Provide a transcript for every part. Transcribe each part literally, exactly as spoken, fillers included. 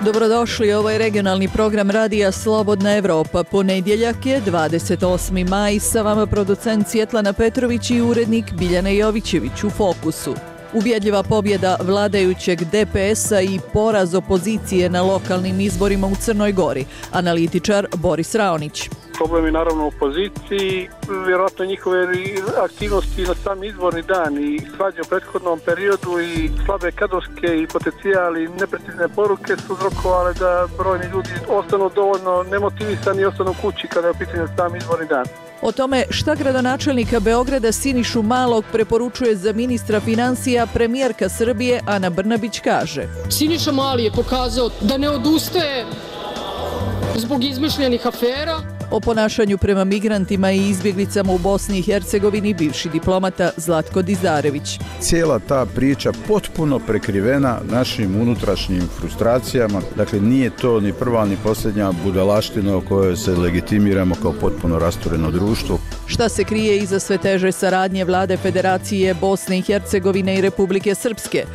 Dobrodošli, ovo je regionalni program Radija Slobodna Evropa. Ponedjeljak je dvadeset osmi maj, sa vama producent Svjetlana Petrović i urednik Biljana Jovićević. U fokusu ubjedljiva pobjeda vladajućeg D P S-a i poraz opozicije na lokalnim izborima u Crnoj Gori. Analitičar Boris Raonić. Problem je naravno u opoziciji, vjerojatno njihove aktivnosti na sam izborni dan i svađe u prethodnom periodu i slabe kadrovske i potencijali neprecizne poruke su uzrokovale da brojni ljudi ostanu dovoljno nemotivisani i ostanu kući kada je u pitanju sam izborni dan. O tome šta gradonačelnika Beograda Sinišu Malog preporučuje za ministra financija, premijerka Srbije Ana Brnabić kaže: Siniša Mali je pokazao da ne odustaje zbog izmišljenih afera. O ponašanju prema migrantima i izbjeglicama u Bosni i Hercegovini bivši diplomata Zlatko Dizarević. Cijela ta priča potpuno prekrivena našim unutrašnjim frustracijama. Dakle, nije to ni prva ni posljednja budalaština o kojoj se legitimiramo kao potpuno rastureno društvo. Šta se krije iza sve teže saradnje vlade Federacije Bosne i Hercegovine i Republike Srpske?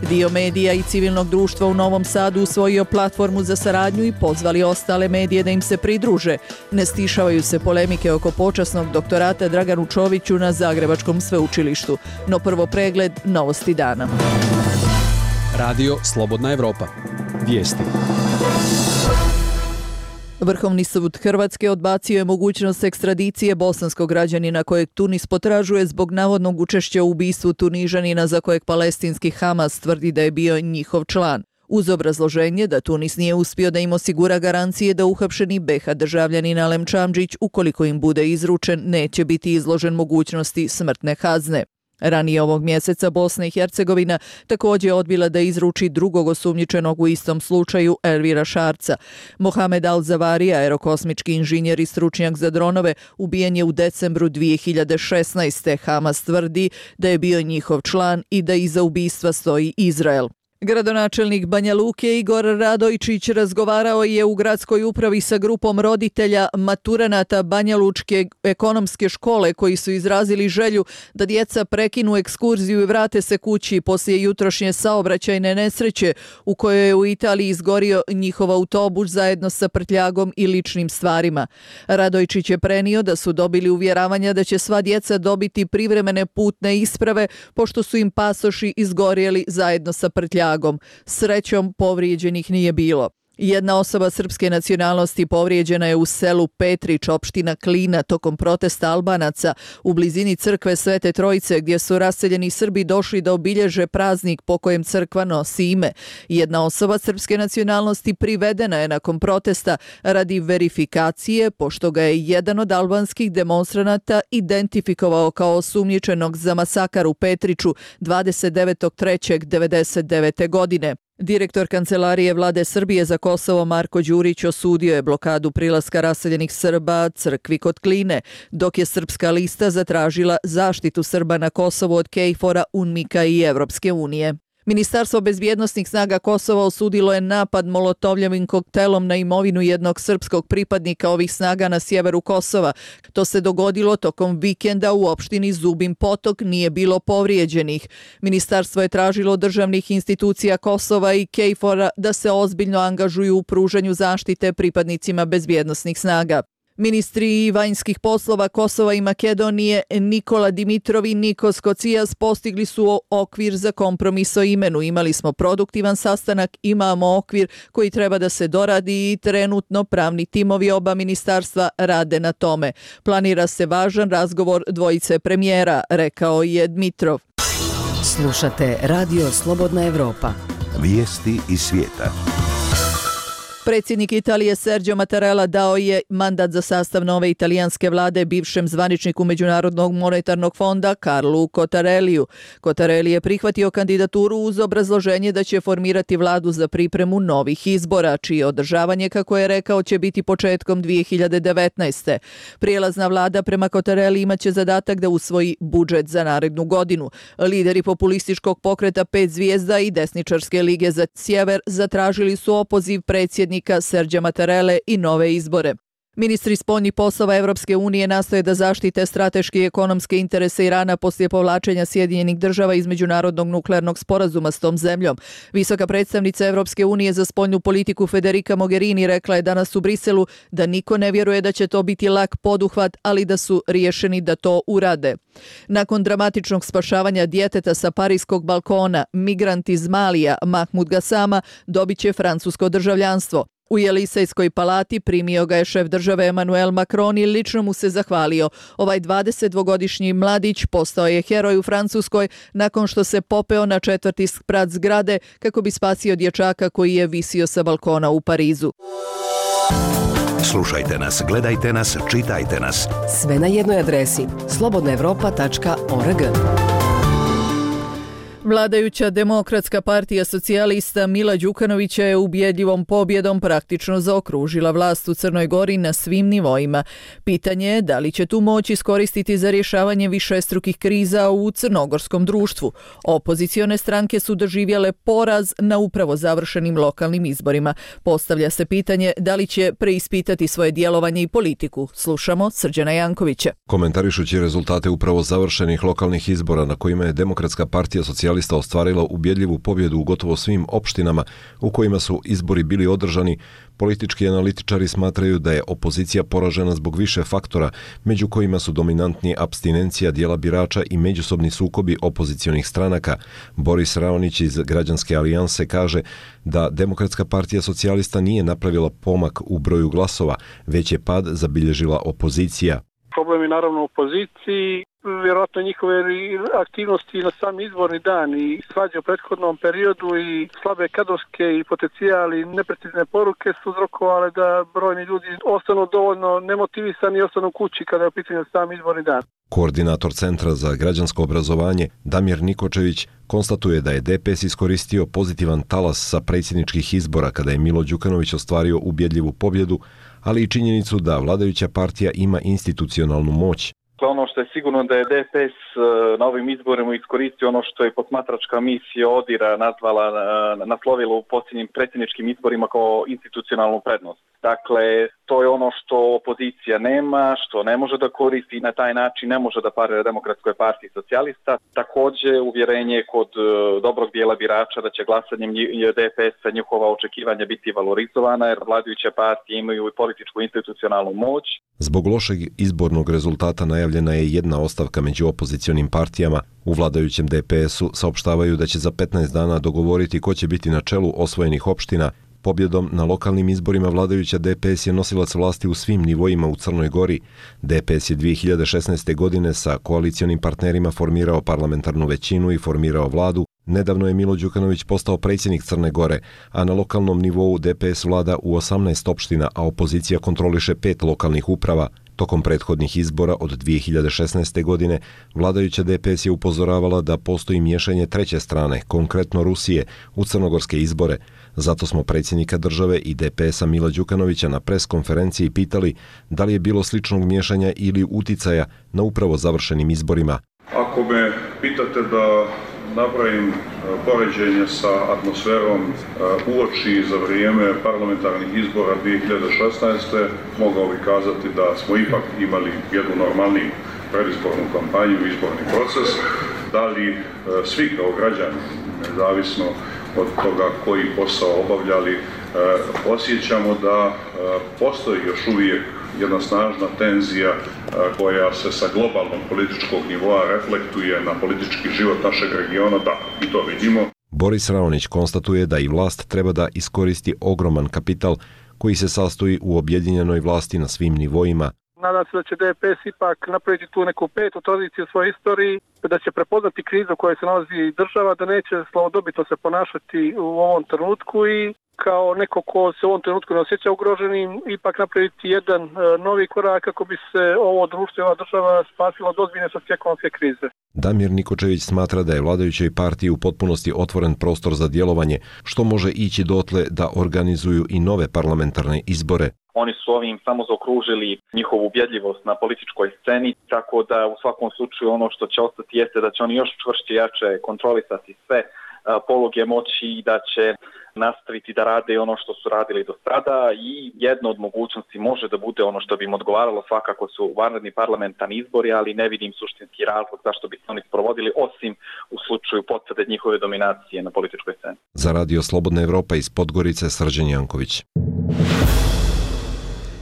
Dio medija i civilnog društva u Novom Sadu usvojio platformu za saradnju i pozvali ostale medije da im se pridruže. Ne stišavaju se polemike oko počasnog doktorata Draganu Čoviću na Zagrebačkom sveučilištu. No prvo pregled novosti dana. Radio Slobodna Evropa. Vijesti. Vrhovni sud Hrvatske odbacio je mogućnost ekstradicije bosanskog građanina kojeg Tunis potražuje zbog navodnog učešća u ubistvu Tunižanina za kojeg palestinski Hamas tvrdi da je bio njihov član. Uz obrazloženje da Tunis nije uspio da im osigura garancije da uhapšeni B H državljanin Alem Čamdžić, ukoliko im bude izručen, neće biti izložen mogućnosti smrtne kazne. Ranije ovog mjeseca Bosna i Hercegovina također je odbila da izruči drugog osumnjičenog u istom slučaju, Elvira Šarca. Mohamed Al-Zavari, aerokosmički inženjer i stručnjak za dronove, ubijen je u decembru dvije hiljade šesnaeste. Hamas tvrdi da je bio njihov član i da iza ubistva stoji Izrael. Gradonačelnik Banja Luke Igor Radojčić razgovarao je u gradskoj upravi sa grupom roditelja maturanata Banja Lučke ekonomske škole koji su izrazili želju da djeca prekinu ekskurziju i vrate se kući poslije jutrošnje saobraćajne nesreće u kojoj je u Italiji izgorio njihov autobus zajedno sa prtljagom i ličnim stvarima. Radojčić je prenio da su dobili uvjeravanja da će sva djeca dobiti privremene putne isprave pošto su im pasoši izgorjeli zajedno sa prtljagom. Srećom, povrijeđenih nije bilo. Jedna osoba srpske nacionalnosti povrijeđena je u selu Petrić, opština Klina, tokom protesta Albanaca u blizini crkve Svete Trojice, gdje su raseljeni Srbi došli da obilježe praznik po kojem crkva nosi ime. Jedna osoba srpske nacionalnosti privedena je nakon protesta radi verifikacije, pošto ga je jedan od albanskih demonstranata identifikovao kao osumnjičenog za masakar u Petriću dvadeset devetog trećeg devedeset devete. godine. Direktor Kancelarije Vlade Srbije za Kosovo Marko Đurić osudio je blokadu prilaska raseljenih Srba crkvi kod Kline, dok je Srpska lista zatražila zaštitu Srba na Kosovu od KFOR-a, UNMIK-a i Evropske unije. Ministarstvo bezbjednosnih snaga Kosova osudilo je napad molotovljevim koktelom na imovinu jednog srpskog pripadnika ovih snaga na sjeveru Kosova. To se dogodilo tokom vikenda u opštini Zubin Potok, nije bilo povrijeđenih. Ministarstvo je tražilo od državnih institucija Kosova i KFOR-a da se ozbiljno angažuju u pružanju zaštite pripadnicima bezbjednosnih snaga. Ministri vanjskih poslova Kosova i Makedonije Nikola Dimitrov i Nikos Kocijas postigli su okvir za kompromis o imenu. Imali smo produktivan sastanak, imamo okvir koji treba da se doradi i trenutno pravni timovi oba ministarstva rade na tome. Planira se važan razgovor dvojice premijera, rekao je Dimitrov. Slušate Radio Slobodna Evropa. Vijesti iz svijeta. Predsjednik Italije Sergio Mattarella dao je mandat za sastav nove italijanske vlade bivšem zvaničniku Međunarodnog monetarnog fonda Carlu Cottarelliju. Cottarelli je prihvatio kandidaturu uz obrazloženje da će formirati vladu za pripremu novih izbora, čije održavanje, kako je rekao, će biti početkom dvije hiljade devetnaeste. Prijelazna vlada prema Cottarelli imaće zadatak da usvoji budžet za narednu godinu. Lideri populističkog pokreta Pet zvijezda i desničarske lige za sjever zatražili su opoziv predsjednika Sergio Mattarelle i nove izbore. Ministri spoljnih poslova Evropske unije nastoje da zaštite strateški i ekonomske interese Irana poslije povlačenja Sjedinjenih država iz međunarodnog nuklearnog sporazuma s tom zemljom. Visoka predstavnica Evropske unije za spoljnu politiku Federica Mogherini rekla je danas u Briselu da niko ne vjeruje da će to biti lak poduhvat, ali da su riješeni da to urade. Nakon dramatičnog spašavanja djeteta sa parijskog balkona, migrant iz Malija Mahmud Gassama dobit će francusko državljanstvo. U Jelisejskoj palati primio ga je šef države Emmanuel Macron i lično mu se zahvalio. Ovaj dvadesetdvogodišnji mladić postao je heroj u Francuskoj nakon što se popeo na četvrti sprat zgrade kako bi spasio dječaka koji je visio sa balkona u Parizu. Slušajte nas, gledajte nas, čitajte nas. Sve na jednoj adresi slobodna evropa tačka org. Vladajuća Demokratska partija socijalista Mila Đukanovića je ubjedljivom pobjedom praktično zaokružila vlast u Crnoj Gori na svim nivoima. Pitanje je da li će tu moć iskoristiti za rješavanje višestrukih kriza u crnogorskom društvu. Opozicione stranke su doživjele poraz na upravo završenim lokalnim izborima. Postavlja se pitanje da li će preispitati svoje djelovanje i politiku. Slušamo Srđana Jankovića. Komentarišući rezultate upravo završenih lokalnih izbora na kojima je Demokratska partija socijalista ostvarila ubjedljivu pobjedu u gotovo svim opštinama u kojima su izbori bili održani, politički analitičari smatraju da je opozicija poražena zbog više faktora, među kojima su dominantni apstinencija dijela birača i međusobni sukobi opozicionih stranaka. Boris Raonić iz Građanske alijanse kaže da Demokratska partija socijalista nije napravila pomak u broju glasova, već je pad zabilježila opozicija. Problem je naravno u opoziciji, vjerojatno njihove aktivnosti na sam izborni dan i svađe u prethodnom periodu i slabe kadrovske i potencijali neprecizne poruke su uzrokovale da brojni ljudi ostanu dovoljno nemotivisani i ostanu kući kada je u pitanju sam izborni dan. Koordinator Centra za građansko obrazovanje Damir Nikočević konstatuje da je D P S iskoristio pozitivan talas sa predsjedničkih izbora kada je Milo Đukanović ostvario ubjedljivu pobjedu, ali i činjenicu da vladajuća partija ima institucionalnu moć. Ono što je sigurno da je D P S na ovim izborima iskoristio ono što je posmatračka misija Odira nazvala, naslovila u posljednjim predsjedničkim izborima kao institucionalnu prednost. Dakle, to je ono što opozicija nema, što ne može da koristi i na taj način ne može da parira Demokratskoj partiji socijalista. Također, uvjerenje kod dobrog dijela birača da će glasanjem D P S-a njihova očekivanja biti valorizovana jer vladajuće partije imaju i političku institucionalnu moć. Zbog lošeg izbornog rezultata najavljena je jedna ostavka među opozicionim partijama. U vladajućem D P S-u saopštavaju da će za petnaest dana dogovoriti ko će biti na čelu osvojenih opština. Pobjedom na lokalnim izborima vladajuća D P S je nosilac vlasti u svim nivoima u Crnoj Gori. D P S je dvije hiljade šesnaeste. godine sa koalicionim partnerima formirao parlamentarnu većinu i formirao vladu. Nedavno je Milo Đukanović postao predsjednik Crne Gore, a na lokalnom nivou D P S vlada u osamnaest opština, a opozicija kontroliše pet lokalnih uprava. Tokom prethodnih izbora od dvije hiljade šesnaeste. godine vladajuća D P S je upozoravala da postoji miješanje treće strane, konkretno Rusije, u crnogorske izbore. Zato smo predsjednika države i D P S-a Mila Đukanovića na pres konferenciji pitali da li je bilo sličnog miješanja ili uticaja na upravo završenim izborima. Ako me pitate da napravim poređenje sa atmosferom uoči za vrijeme parlamentarnih izbora dvije hiljade šesnaeste. mogao bih kazati da smo ipak imali jednu normalniju predizbornu kampanju i izborni proces. Da li svi kao građani, nezavisno od toga koji posao obavljali, osjećamo da postoji još uvijek jedna snažna tenzija koja se sa globalnog političkog nivoa reflektuje na politički život našeg regiona, da, i to vidimo. Boris Raonić konstatuje da i vlast treba da iskoristi ogroman kapital koji se sastoji u objedinjenoj vlasti na svim nivoima. Nadam se da će D P S ipak napraviti tu neku petu tradiciju u svojoj istoriji, da će prepoznati krizu u kojoj se nalazi država, da neće slavodobitno se ponašati u ovom trenutku i kao neko ko se u ovom trenutku ne osjeća ugroženim, ipak napraviti jedan novi korak kako bi se ovo društvo i ova država spasila od ozbiljne socioekonomske krize. Damir Nikočević smatra da je vladajućoj partiji u potpunosti otvoren prostor za djelovanje, što može ići dotle da organizuju i nove parlamentarne izbore. Oni su ovim samo zaokružili njihovu ubjedljivost na političkoj sceni, tako da u svakom slučaju ono što će ostati jeste da će oni još čvršće jače kontrolisati sve poluge moći i da će nastaviti da rade ono što su radili do sada i jedna od mogućnosti može da bude ono što bi im odgovaralo, svakako su vanredni parlamentarni izbori, ali ne vidim suštinski razlog zašto bi se oni sprovodili, osim u slučaju potvrde njihove dominacije na političkoj sceni. Za Radio Slobodna Evropa iz Podgorice, Srđan Janković.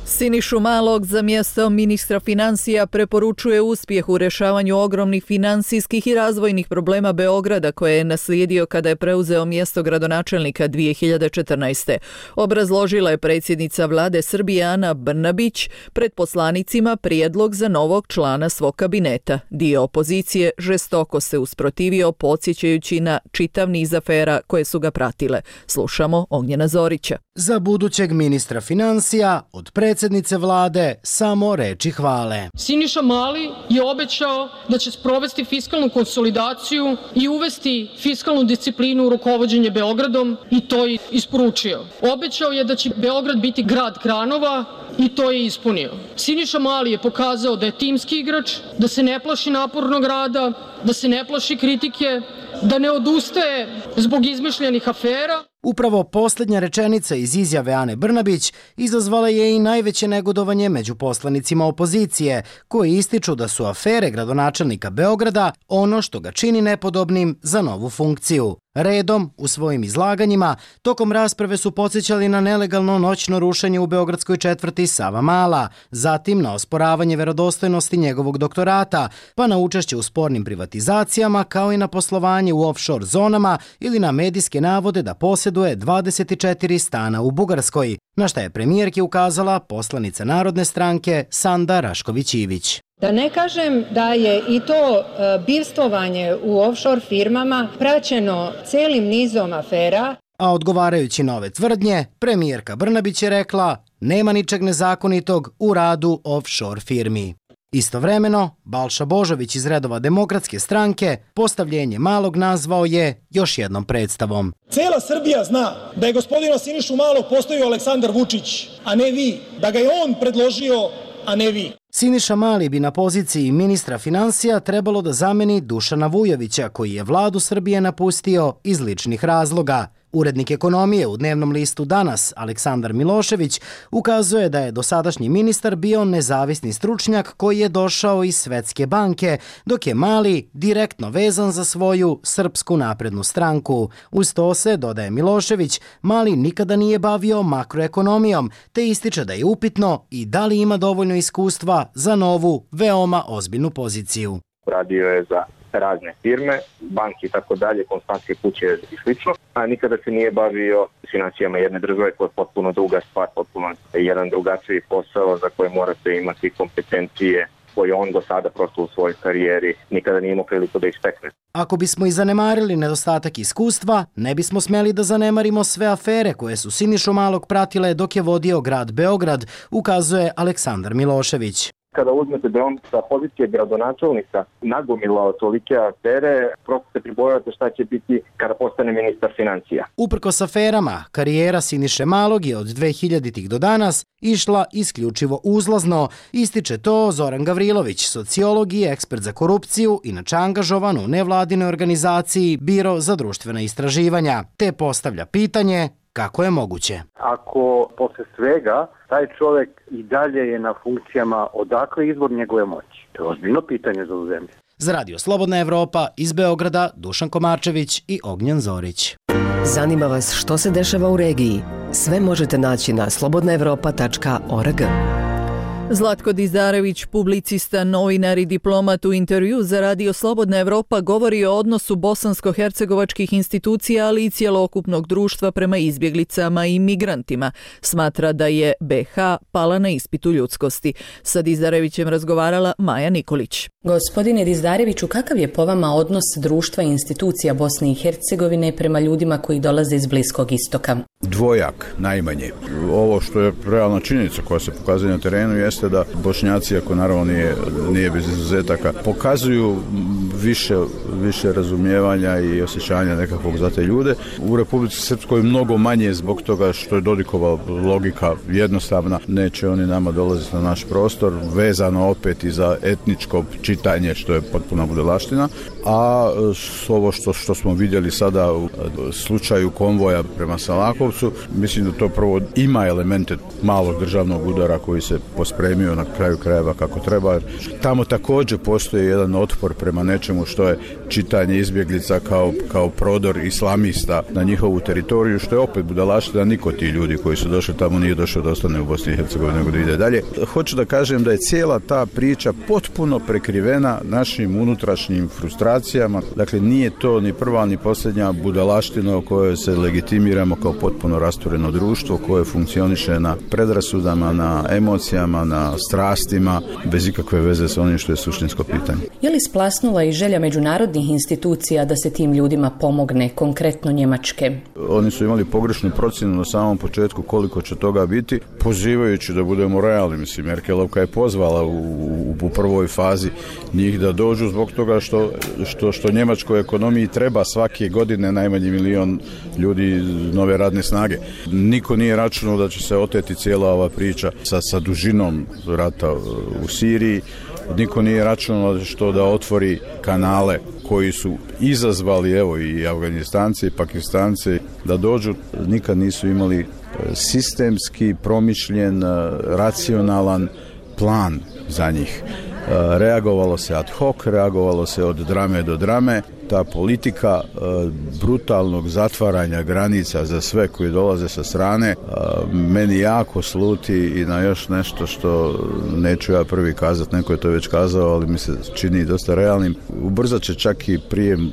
Sinišu Malog za mjesto ministra financija preporučuje uspjeh u rješavanju ogromnih financijskih i razvojnih problema Beograda koje je naslijedio kada je preuzeo mjesto gradonačelnika dvije hiljade četrnaeste. Obrazložila je predsjednica vlade Srbije Ana Brnabić pred poslanicima prijedlog za novog člana svog kabineta. Dio opozicije žestoko se usprotivio, podsjećajući na čitav niz afera koje su ga pratile. Slušamo Ognjena Zorića. Za budućeg ministra financija od predsjednice vlade samo reči hvale. Siniša Mali je obećao da će sprovesti fiskalnu konsolidaciju i uvesti fiskalnu disciplinu u rukovođenje Beogradom i to je isporučio. Obećao je da će Beograd biti grad kranova i to je ispunio. Siniša Mali je pokazao da je timski igrač, da se ne plaši napornog rada, da se ne plaši kritike, da ne odustaje zbog izmišljenih afera. Upravo posljednja rečenica iz izjave Ane Brnabić izazvala je i najveće negodovanje među poslanicima opozicije, koji ističu da su afere gradonačelnika Beograda ono što ga čini nepodobnim za novu funkciju. Redom, u svojim izlaganjima, tokom rasprave su podsjećali na nelegalno noćno rušenje u beogradskoj četvrti Savamala, zatim na osporavanje verodostojnosti njegovog doktorata, pa na učešće u spornim privatizacijama, kao i na poslovanje u offshore zonama ili na medijske navode da posjeduje dvadeset četiri stana u Bugarskoj, na šta je premijerki ukazala poslanica Narodne stranke Sanda Rašković-Ivić. Da ne kažem da je i to bivstvovanje u offshore firmama praćeno celim nizom afera. A odgovarajući na ove tvrdnje, premijerka Brnabić je rekla nema ničeg nezakonitog u radu offshore firmi. Istovremeno, Balša Božović iz redova Demokratske stranke postavljenje Malog nazvao je još jednom predstavom. Cela Srbija zna da je gospodina Sinišu Malog postavio Aleksandar Vučić, a ne vi, da ga je on predložio, a ne vi. Siniša Mali bi na poziciji ministra financija trebalo da zameni Dušana Vujovića, koji je vladu Srbije napustio iz ličnih razloga. Urednik ekonomije u dnevnom listu Danas, Aleksandar Milošević, ukazuje da je dosadašnji ministar bio nezavisni stručnjak koji je došao iz Svetske banke, dok je Mali direktno vezan za svoju Srpsku naprednu stranku. Uz to se, dodaje Milošević, Mali nikada nije bavio makroekonomijom, te ističe da je upitno i da li ima dovoljno iskustva za novu, veoma ozbiljnu poziciju. Radio je za razne firme, banke i tako dalje, konstantske kuće i slično, a nikada se nije bavio financijama jedne države koja je potpuno druga stvar, potpuno jedan drugačiji posao za koje morate imati kompetencije koje on do sada prosto u svojoj karijeri nikada nije imao priliku da istekne. Ako bismo i zanemarili nedostatak iskustva, ne bismo smeli da zanemarimo sve afere koje su Sinišu Malog pratile dok je vodio grad Beograd, ukazuje Aleksandar Milošević. Kada uzmete da on sa pozicije gradonačelnika nagomilao tolike afere, prosto se pribojavate šta će biti kada postane ministar financija. Uprkos aferama, karijera Siniše Malog je od dve hiljaditih do danas išla isključivo uzlazno, ističe to Zoran Gavrilović, sociolog i ekspert za korupciju, inače angažovan u nevladinoj organizaciji Biro za društvena istraživanja, te postavlja pitanje kako je moguće. Ako posle svega taj čovjek i dalje je na funkcijama, odakle izvor njegove moći? To je ozbiljno pitanje za ovu zemlju. Za Radio Slobodna Evropa iz Beograda Dušan Komarčević i Ognjen Zorić. Zanima vas što se dešava u regiji? Sve možete naći na slobodna evropa tačka org. Zlatko Dizarević, publicista, novinar i diplomat, u intervju za Radio Slobodna Evropa govori o odnosu bosansko-hercegovačkih institucija, ali i cjelokupnog društva prema izbjeglicama i migrantima. Smatra da je be ha pala na ispitu ljudskosti. Sa Dizarevićem razgovarala Maja Nikolić. Gospodine Dizareviću, kakav je po vama odnos društva i institucija Bosne i Hercegovine prema ljudima koji dolaze iz Bliskog istoka? Dvojak, najmanje. Ovo što je realna činjenica koja se pokazuje na terenu jeste da Bošnjaci, ako naravno nije, nije bez izuzetaka, pokazuju više, više razumijevanja i osjećanja nekakvog za te ljude. U Republici Srpskoj mnogo manje zbog toga što je Dodikova logika jednostavna. Neće oni nama dolaziti na naš prostor, vezano opet i za etničko čitanje, što je potpuna budalaština. A ovo što, što smo vidjeli sada u slučaju konvoja prema Salakovcu, mislim da to prvo ima elemente malog državnog udara koji se pospremio na kraju krajeva kako treba. Tamo također postoji jedan otpor prema nečemu što je čitanje izbjeglica kao, kao prodor islamista na njihovu teritoriju, što je opet budalaština. Niko ti ljudi koji su došli tamo nije došao da ostane u Bosni i Hercegovini, nego da ide dalje. Hoću da kažem da je cijela ta priča potpuno prekrivena našim unutrašnjim frustracijama. Dakle, nije to ni prva ni posljednja budalaština o kojoj se legitimiramo kao potpuno rastureno društvo koje funkcioniše na predrasudama, na emocijama, na strastima, bez ikakve veze sa onim što je suštinsko pitanje. Je li splasnula i želja međunarodnih institucija da se tim ljudima pomogne, konkretno Njemačke? Oni su imali pogrešnu procjenu na samom početku koliko će toga biti, pozivajući da budemo realni. Mislim, Merkelovka je pozvala u, u, u prvoj fazi njih da dođu zbog toga što, što, što njemačkoj ekonomiji treba svake godine najmanje milion ljudi nove radne snage. Niko nije računao da će se oteti cijela ova priča sa, sa dužinom rata u Siriji. Niko nije računao što da otvori kanale koji su izazvali evo i Afganistanci i Pakistanci da dođu. Nikad nisu imali sistemski promišljen, racionalan plan za njih. Reagovalo se ad hoc, reagovalo se od drame do drame. Ta politika e, brutalnog zatvaranja granica za sve koji dolaze sa strane e, meni jako sluti i na još nešto što neću ja prvi kazati, neko je to već kazao, ali mi se čini dosta realnim. Ubrzat će čak i prijem e,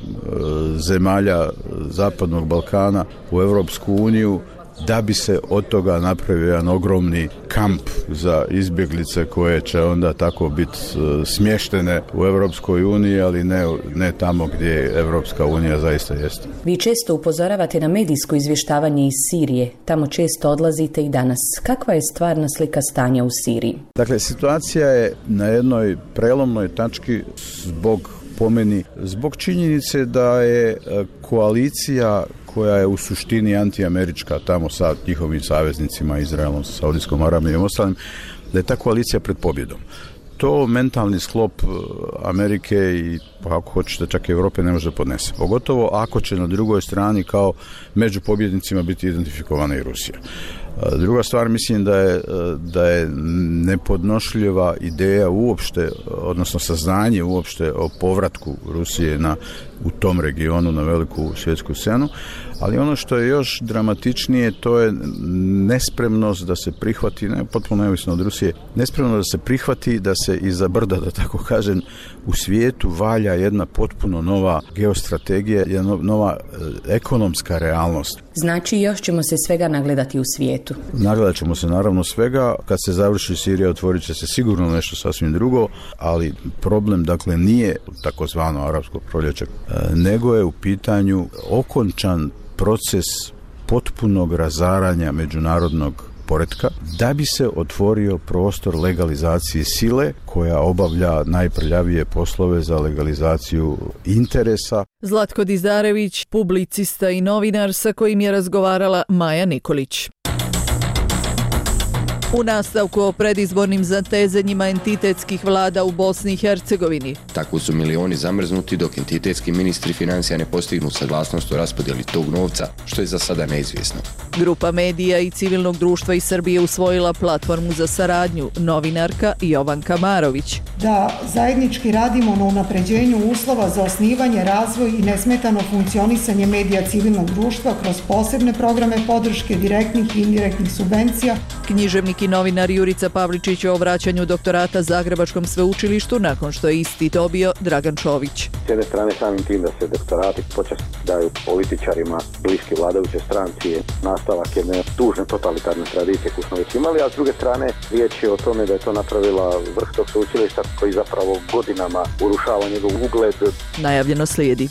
zemalja Zapadnog Balkana u Europsku uniju, da bi se od toga napravio jedan ogromni kamp za izbjeglice koje će onda tako biti smještene u Europskoj uniji, ali ne, ne tamo gdje Europska unija zaista jeste. Vi često upozoravate na medijsko izvještavanje iz Sirije. Tamo često odlazite i danas. Kakva je stvarna slika stanja u Siriji? Dakle, situacija je na jednoj prelomnoj tački zbog po meni, zbog činjenice da je koalicija koja je u suštini antiamerička tamo sa njihovim saveznicima, Izraelom, sa Saudijskom Arabijom i ostalim, da je ta koalicija pred pobjedom. To mentalni sklop Amerike i, ako hoćete, čak i Europe ne može podnese. Pogotovo ako će na drugoj strani kao među pobjednicima biti identifikovana i Rusija. Druga stvar, mislim da je, da je nepodnošljiva ideja uopšte, odnosno saznanje uopšte o povratku Rusije na, u tom regionu na veliku svjetsku scenu, ali ono što je još dramatičnije, to je nespremnost da se prihvati, ne potpuno neovisno od Rusije, nespremnost da se prihvati da se iza brda, da tako kažem, u svijetu valja jedna potpuno nova geostrategija, jedna nova ekonomska realnost. Znači, još ćemo se svega nagledati u svijetu. Nagledat ćemo se naravno svega. Kad se završi Sirija, otvorit će se sigurno nešto sasvim drugo, ali problem, dakle, nije takozvano arapsko proljeće, nego je u pitanju okončan proces potpunog razaranja međunarodnog poretka, da bi se otvorio prostor legalizacije sile koja obavlja najprljavije poslove za legalizaciju interesa. Zlatko Dizarević, publicista i novinar sa kojim je razgovarala Maja Nikolić. U nastavku o predizbornim zatezanjima entitetskih vlada u Bosni i Hercegovini. Tako su milioni zamrznuti dok entitetski ministri financija ne postignu saglasnost o raspodjeli tog novca, što je za sada neizvjesno. Grupa medija i civilnog društva iz Srbije usvojila platformu za saradnju, novinarka Jovanka Marović. Da zajednički radimo na unapređenju uslova za osnivanje, razvoj i nesmetano funkcionisanje medija civilnog društva kroz posebne programe podrške direktnih i indirektnih subvencija. Književnik i novinar Jurica Pavličić o vraćanju doktorata Zagrebačkom sveučilištu nakon što je isti dobio Dragan Čović. S jedne strane samim tim da se doktorati počast daju političarima bliski vladajuće stranci je nastavak jedne tužne totalitarne tradicije koju smo već imali, a s druge strane riječ je o tome da je to napravila vrh tog sveučilišta koji zapravo godinama urušava njegov ugled. Najavljeno slijedi.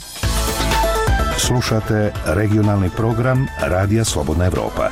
Slušate regionalni program Radija Slobodna Evropa.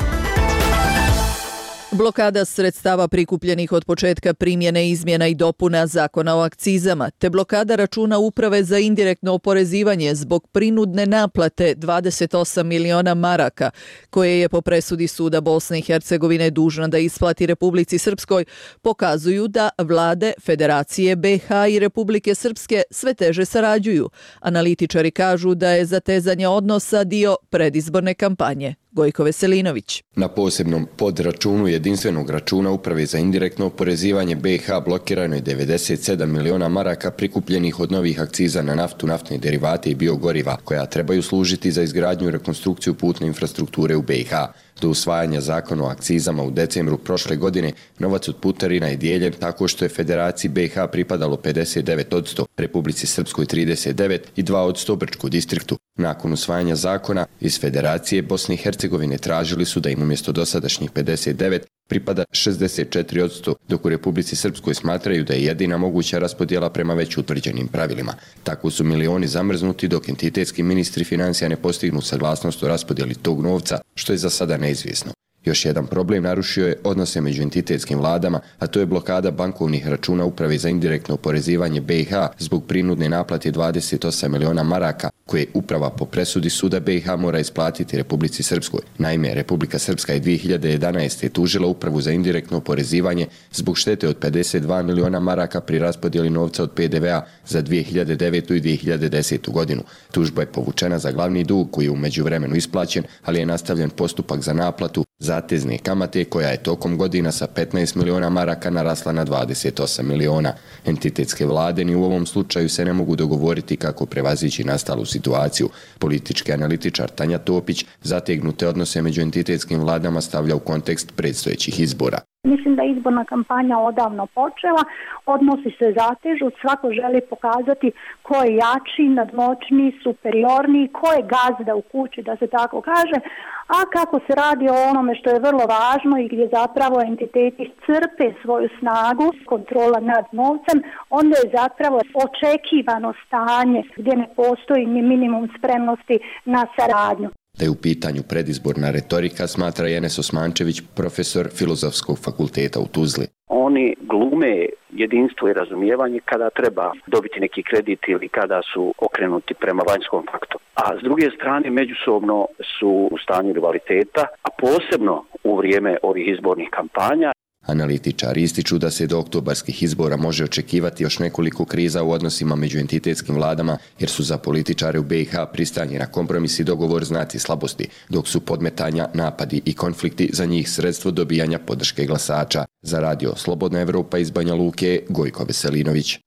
Blokada sredstava prikupljenih od početka primjene izmjena i dopuna Zakona o akcizama, te blokada računa Uprave za indirektno oporezivanje zbog prinudne naplate dvadeset osam miliona maraka, koje je po presudi Suda Bosne i Hercegovine dužna da isplati Republici Srpskoj, pokazuju da vlade Federacije B i H i Republike Srpske sve teže sarađuju. Analitičari kažu da je zatezanje odnosa dio predizborne kampanje. Gojko Veselinović. Na posebnom podračunu jedinstvenog računa Uprave za indirektno oporezivanje B i H blokirano je devedeset sedam miliona maraka prikupljenih od novih akciza na naftu, naftne derivate i biogoriva, koja trebaju služiti za izgradnju i rekonstrukciju putne infrastrukture u B i H. Do usvajanja zakona o akcizama u decembru prošle godine novac od putarina je dijeljen tako što je Federaciji B i H pripadalo pedeset devet posto, Republici Srpskoj trideset devet i dva posto Brčkom distriktu. Nakon usvajanja zakona iz Federacije Bosne i Hercegovine tražili su da im umjesto dosadašnjih pedeset devet pripada šezdeset četiri posto, dok u Republici Srpskoj smatraju da je jedina moguća raspodjela prema već utvrđenim pravilima. Tako su milioni zamrznuti dok entitetski ministri financija ne postignu saglasnost o raspodjeli tog novca, što je za sada neizvjesno. Još jedan problem narušio je odnose među entitetskim vladama, a to je blokada bankovnih računa Uprave za indirektno oporezivanje B i H zbog prinudne naplate dvadeset osam miliona maraka, koje uprava po presudi Suda B i H mora isplatiti Republici Srpskoj. Naime, Republika Srpska je dvije hiljade jedanaeste. tužila Upravu za indirektno oporezivanje zbog štete od pedeset dva miliona maraka pri raspodjeli novca od P D V-a za dvije hiljade devetu i dvije hiljade desetu. godinu. Tužba je povučena za glavni dug koji je u međuvremenu isplaćen, ali je nastavljen postupak za naplatu zatezne kamate koja je tokom godina sa petnaest miliona maraka narasla na dvadeset osam miliona. Entitetske vlade ni u ovom slučaju se ne mogu dogovoriti kako prevazići nastalu situaciju. Politički analitičar Tanja Topić zategnute odnose među entitetskim vladama stavlja u kontekst predstojećih izbora. Mislim da je izborna kampanja odavno počela, odnosi se zatežu, svako želi pokazati ko je jači, nadmoćniji, superiorniji, ko je gazda u kući, da se tako kaže, a kako se radi o onome što je vrlo važno i gdje zapravo entiteti crpe svoju snagu, kontrola nad novcem, onda je zapravo očekivano stanje gdje ne postoji ni minimum spremnosti na saradnju. Da je u pitanju predizborna retorika, smatra Enes Osmančević, profesor Filozofskog fakulteta u Tuzli. Oni glume jedinstvo i razumijevanje kada treba dobiti neki kredit ili kada su okrenuti prema vanjskom faktoru. A s druge strane, međusobno su u stanju rivaliteta, a posebno u vrijeme ovih izbornih kampanja. Analitičari ističu da se do oktobarskih izbora može očekivati još nekoliko kriza u odnosima među entitetskim vladama, jer su za političare u B i H pristanje na kompromis i dogovor znaci slabosti, dok su podmetanja, napadi i konflikti za njih sredstvo dobijanja podrške glasača. Za radio Slobodna Evropa iz Banja Luke, Gojko Veselinović.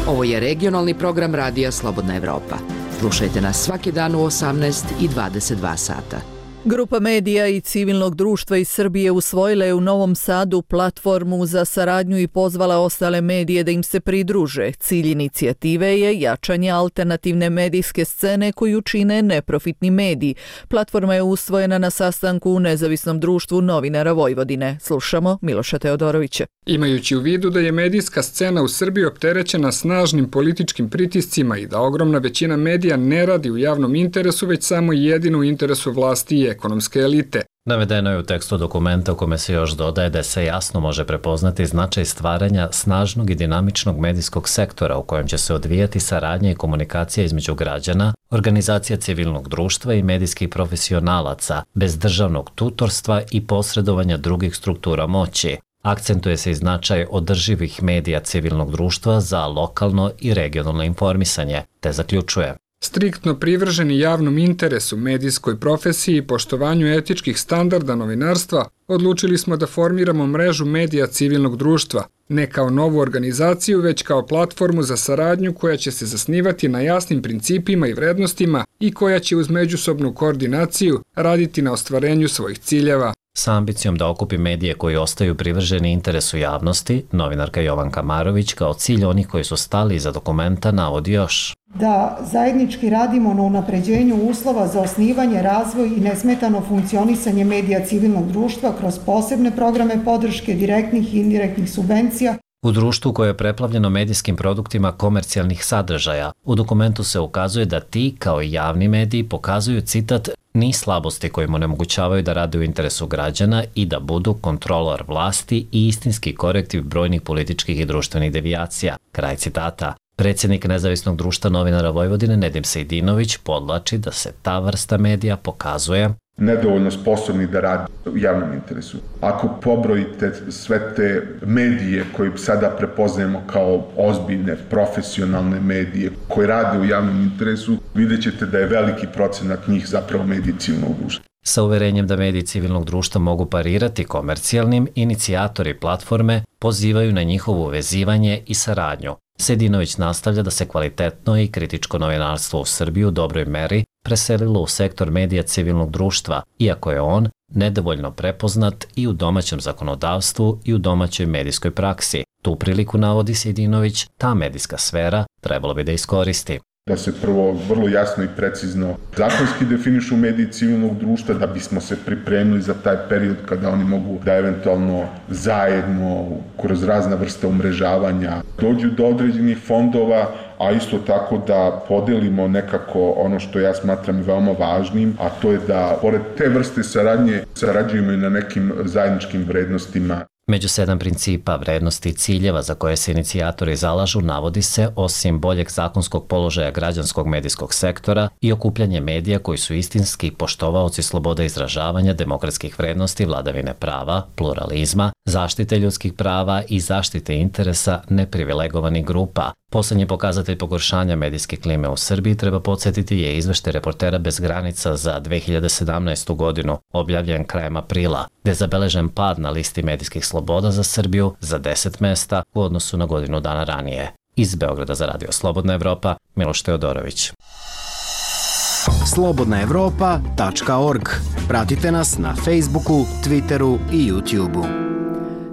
Ovo je regionalni program radija Slobodna Evropa. Slušajte nas svaki dan u osamnaest i dvadeset dva sata. Grupa medija i civilnog društva iz Srbije usvojila je u Novom Sadu platformu za saradnju i pozvala ostale medije da im se pridruže. Cilj inicijative je jačanje alternativne medijske scene koju čine neprofitni mediji. Platforma je usvojena na sastanku u Nezavisnom društvu novinara Vojvodine. Slušamo Miloša Teodorovića. Imajući u vidu da je medijska scena u Srbiji opterećena snažnim političkim pritiscima i da ogromna većina medija ne radi u javnom interesu, već samo jedino u interesu vlasti i ekonomske elite. Navedeno je u tekstu dokumenta u kome se još dodaje da se jasno može prepoznati značaj stvaranja snažnog i dinamičnog medijskog sektora u kojem će se odvijati saradnja i komunikacija između građana, organizacija civilnog društva i medijskih profesionalaca, bez državnog tutorstva i posredovanja drugih struktura moći. Akcentuje se i značaj održivih medija civilnog društva za lokalno i regionalno informisanje, te zaključuje: striktno privrženi javnom interesu, medijskoj profesiji i poštovanju etičkih standarda novinarstva, odlučili smo da formiramo mrežu medija civilnog društva, ne kao novu organizaciju, već kao platformu za saradnju koja će se zasnivati na jasnim principima i vrednostima i koja će uz međusobnu koordinaciju raditi na ostvarenju svojih ciljeva. Sa ambicijom da okupi medije koji ostaju privrženi interesu javnosti, novinarka Jovanka Marović kao cilj onih koji su stali iza dokumenta navodi još: da zajednički radimo na unapređenju uslova za osnivanje, razvoj i nesmetano funkcionisanje medija civilnog društva kroz posebne programe podrške direktnih i indirektnih subvencija. U društvu koje je preplavljeno medijskim produktima komercijalnih sadržaja, u dokumentu se ukazuje da ti, kao i javni mediji, pokazuju, citat, ni slabosti koje mu onemogućavaju da rade u interesu građana i da budu kontrolor vlasti i istinski korektiv brojnih političkih i društvenih devijacija. Kraj citata. Predsjednik Nezavisnog društva novinara Vojvodine Nedim Sejdinović podlači da se ta vrsta medija pokazuje nedovoljno sposobni da radi u javnom interesu. Ako pobrojite sve te medije koje sada prepoznajemo kao ozbiljne, profesionalne medije koje rade u javnom interesu, vidjet ćete da je veliki procenat njih zapravo mediji civilnog društva. Sa uverenjem da mediji civilnog društva mogu parirati komercijalnim, inicijatori platforme pozivaju na njihovo vezivanje i saradnju. Sejdinović nastavlja da se kvalitetno i kritičko novinarstvo u Srbiji u dobroj meri preselilo u sektor medija civilnog društva, iako je on nedovoljno prepoznat i u domaćem zakonodavstvu i u domaćoj medijskoj praksi. Tu priliku, navodi Sejdinović, ta medijska sfera trebalo bi da iskoristi. Da se prvo vrlo jasno i precizno zakonski definišu mediji civilnog društva, da bismo se pripremili za taj period kada oni mogu da eventualno zajedno kroz razna vrsta umrežavanja dođu do određenih fondova, a isto tako da podelimo nekako ono što ja smatram veoma važnim, a to je da pored te vrste saradnje sarađujemo i na nekim zajedničkim vrednostima. Među sedam principa, vrednosti i ciljeva za koje se inicijatori zalažu navodi se, osim boljeg zakonskog položaja građanskog medijskog sektora, i okupljanje medija koji su istinski poštovaoci slobode izražavanja, demokratskih vrednosti, vladavine prava, pluralizma, zaštite ljudskih prava i zaštite interesa neprivilegovanih grupa. Poslednji pokazatelj pogoršanja medijske klime u Srbiji, treba podsjetiti, je izveštaj Reportera bez granica za dve hiljade sedamnaestu. godinu, objavljen krajem aprila, gde je zabeležen pad na listi medijskih sloboda za Srbiju za deset mesta u odnosu na godinu dana ranije. Iz Beograda za Radio Slobodna Evropa, Miloš Teodorović. slobodna evropa tačka org. Pratite nas na Facebooku, Twitteru i YouTubeu.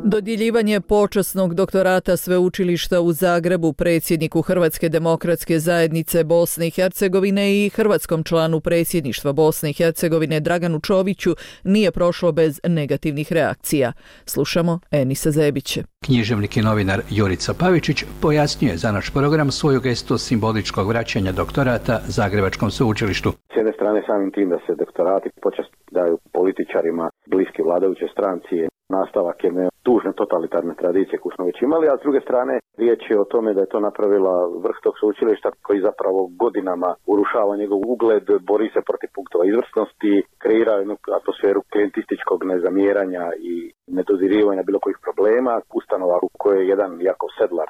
Dodjeljivanje počasnog doktorata Sveučilišta u Zagrebu predsjedniku Hrvatske demokratske zajednice Bosne i Hercegovine i hrvatskom članu predsjedništva Bosne i Hercegovine Draganu Čoviću nije prošlo bez negativnih reakcija. Slušamo Enisa Zebića. Književnik i novinar Jurica Pavičić pojasnjuje za naš program svoju gestu simboličkog vraćanja doktorata Zagrebačkom sveučilištu. S jedne strane samim tim da se doktorati počast daju političarima bliski vladajuće stranci, nastavak jedne tužne totalitarne tradicije koju smo već imali, a s druge strane riječ je o tome da je to napravila vrh tog sveučilišta koji zapravo godinama urušava njegov ugled, bori se protiv punktova izvrsnosti, kreira jednu atmosferu klijentističkog nezamjeranja i nedodirivanja bilo kojih problema, ustanova u kojoj je jedan Jakov Sedlar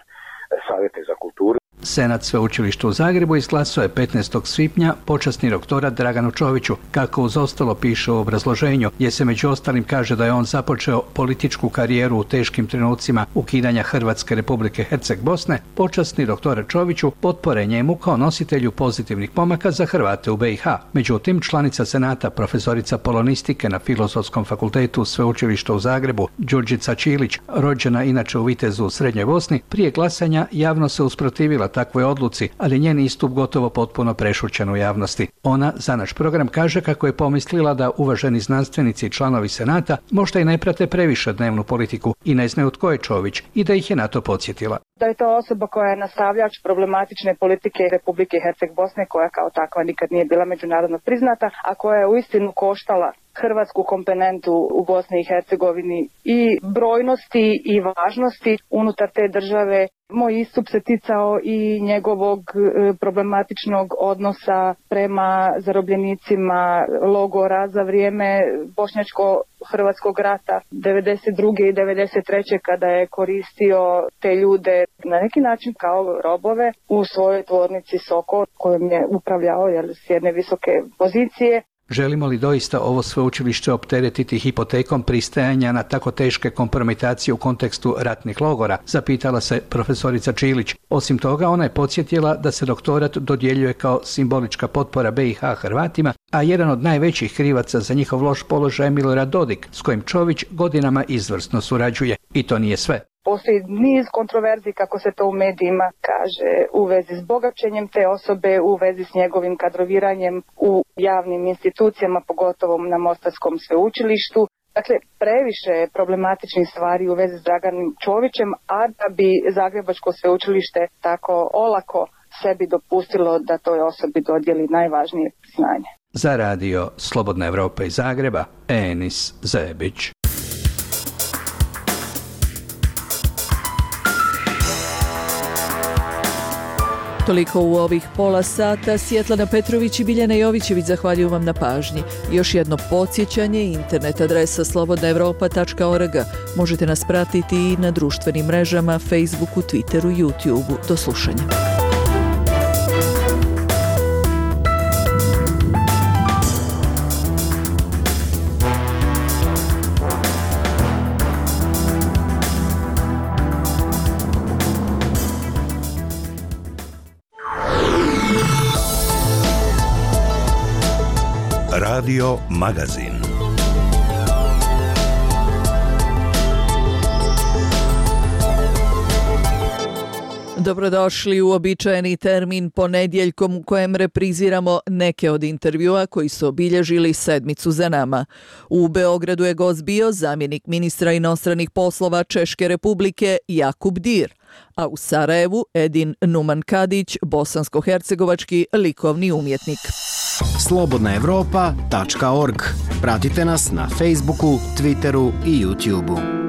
savjetnik za kulturu. Senat sveučilišta u Zagrebu izglasao je petnaestog svibnja počasni doktorat Draganu Čoviću, kako uz ostalo piše u obrazloženju, gdje se među ostalim kaže da je on započeo političku karijeru u teškim trenucima ukidanja Hrvatske Republike Herceg Bosne. Počasni doktorat Čoviću potpore njemu kao nositelju pozitivnih pomaka za Hrvate u be i ha. Međutim, članica Senata, profesorica polonistike na Filozofskom fakultetu sveučilišta u Zagrebu, Đurđica Čilić, rođena inače u Vitezu u Srednjoj Bosni, prije glasanja javno se usprotivila takvoj odluci, ali njen istup gotovo potpuno prešućen u javnosti. Ona za naš program kaže kako je pomislila da uvaženi znanstvenici i članovi Senata možda i ne prate previše dnevnu politiku i ne znaju tko je Čović i da ih je na to podsjetila. Da je to osoba koja je nastavljač problematične politike Republike Herceg Bosne, koja kao takva nikad nije bila međunarodno priznata, a koja je uistinu koštala hrvatsku komponentu u Bosni i Hercegovini i brojnosti i važnosti unutar te države. Moj istup se ticao i njegovog problematičnog odnosa prema zarobljenicima logora za vrijeme bošnjačko-hrvatskog rata devedeset druge i devedeset treće kada je koristio te ljude na neki način kao robove u svojoj tvornici Sokol kojom je upravljao jer, s jedne visoke pozicije. Želimo li doista ovo sveučilište opteretiti hipotekom pristajanja na tako teške kompromitacije u kontekstu ratnih logora, zapitala se profesorica Čilić. Osim toga, ona je podsjetila da se doktorat dodjeljuje kao simbolička potpora be i ha Hrvatima, a jedan od najvećih krivaca za njihov loš položaj je Milorad Dodik, s kojim Čović godinama izvrsno surađuje. I to nije sve. Postoji niz kontroverzi, kako se to u medijima kaže, u vezi s bogaćenjem te osobe, u vezi s njegovim kadroviranjem u javnim institucijama, pogotovo na Mostarskom sveučilištu. Dakle, previše je problematičnih stvari u vezi s Draganom Čovićem, a da bi Zagrebačko sveučilište tako olako sebi dopustilo da toj osobi dodijeli najvažnije priznanje. Za radio Slobodna Evropa iz Zagreba, Enis Zebić. Toliko u ovih pola sata. Svjetlana Petrović i Biljana Jovićević zahvaljuju vam na pažnji. Još jedno podsjećanje, internet adresa slobodna evropa tačka org. Možete nas pratiti i na društvenim mrežama, Facebooku, Twitteru, YouTubeu. Do slušanja. Radio Magazin. Dobrodošli u uobičajeni termin ponedjeljkom u kojem repriziramo neke od intervjua koji su obilježili sedmicu za nama. U Beogradu je gost bio zamjenik ministra inostranih poslova Češke Republike Jakub Dir, a u Sarajevu Edin Numan Kadić, bosansko-hercegovački likovni umjetnik. slobodna evropa tačka org. Pratite nas na Facebooku, Twitteru i YouTubeu.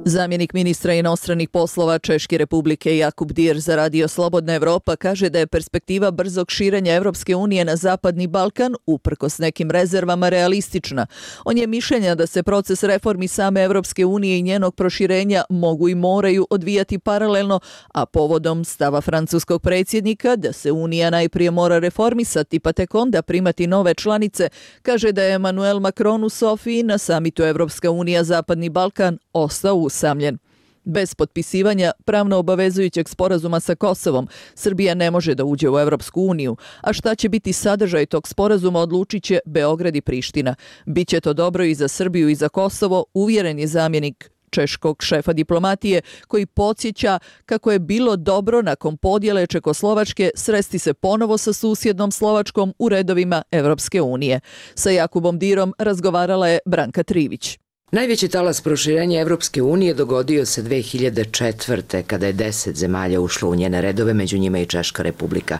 Zamjenik ministra inostranih poslova Češke Republike Jakub Dir za radio Slobodna Evropa kaže da je perspektiva brzog širenja Evropske unije na Zapadni Balkan uprkos nekim rezervama realistična. On je mišljenja da se proces reformi same Evropske unije i njenog proširenja mogu i moraju odvijati paralelno, a povodom stava francuskog predsjednika da se Unija najprije mora reformisati pa tek onda primati nove članice, kaže da je Emmanuel Macron u Sofiji na samitu Evropska unija Zapadni Balkan ostao usamljen. Bez potpisivanja pravno obavezujućeg sporazuma sa Kosovom, Srbija ne može da uđe u Evropsku uniju, a šta će biti sadržaj tog sporazuma odlučit će Beograd i Priština. Biće to dobro i za Srbiju i za Kosovo, uvjeren je zamjenik češkog šefa diplomatije, koji podsjeća kako je bilo dobro nakon podjele Čekoslovačke sresti se ponovo sa susjednom Slovačkom u redovima Evropske unije. Sa Jakubom Dirom razgovarala je Branka Trivić. Najveći talas proširenja Evropske unije dogodio se dve hiljade četvrte. kada je deset zemalja ušlo u njene redove, među njima i Češka Republika.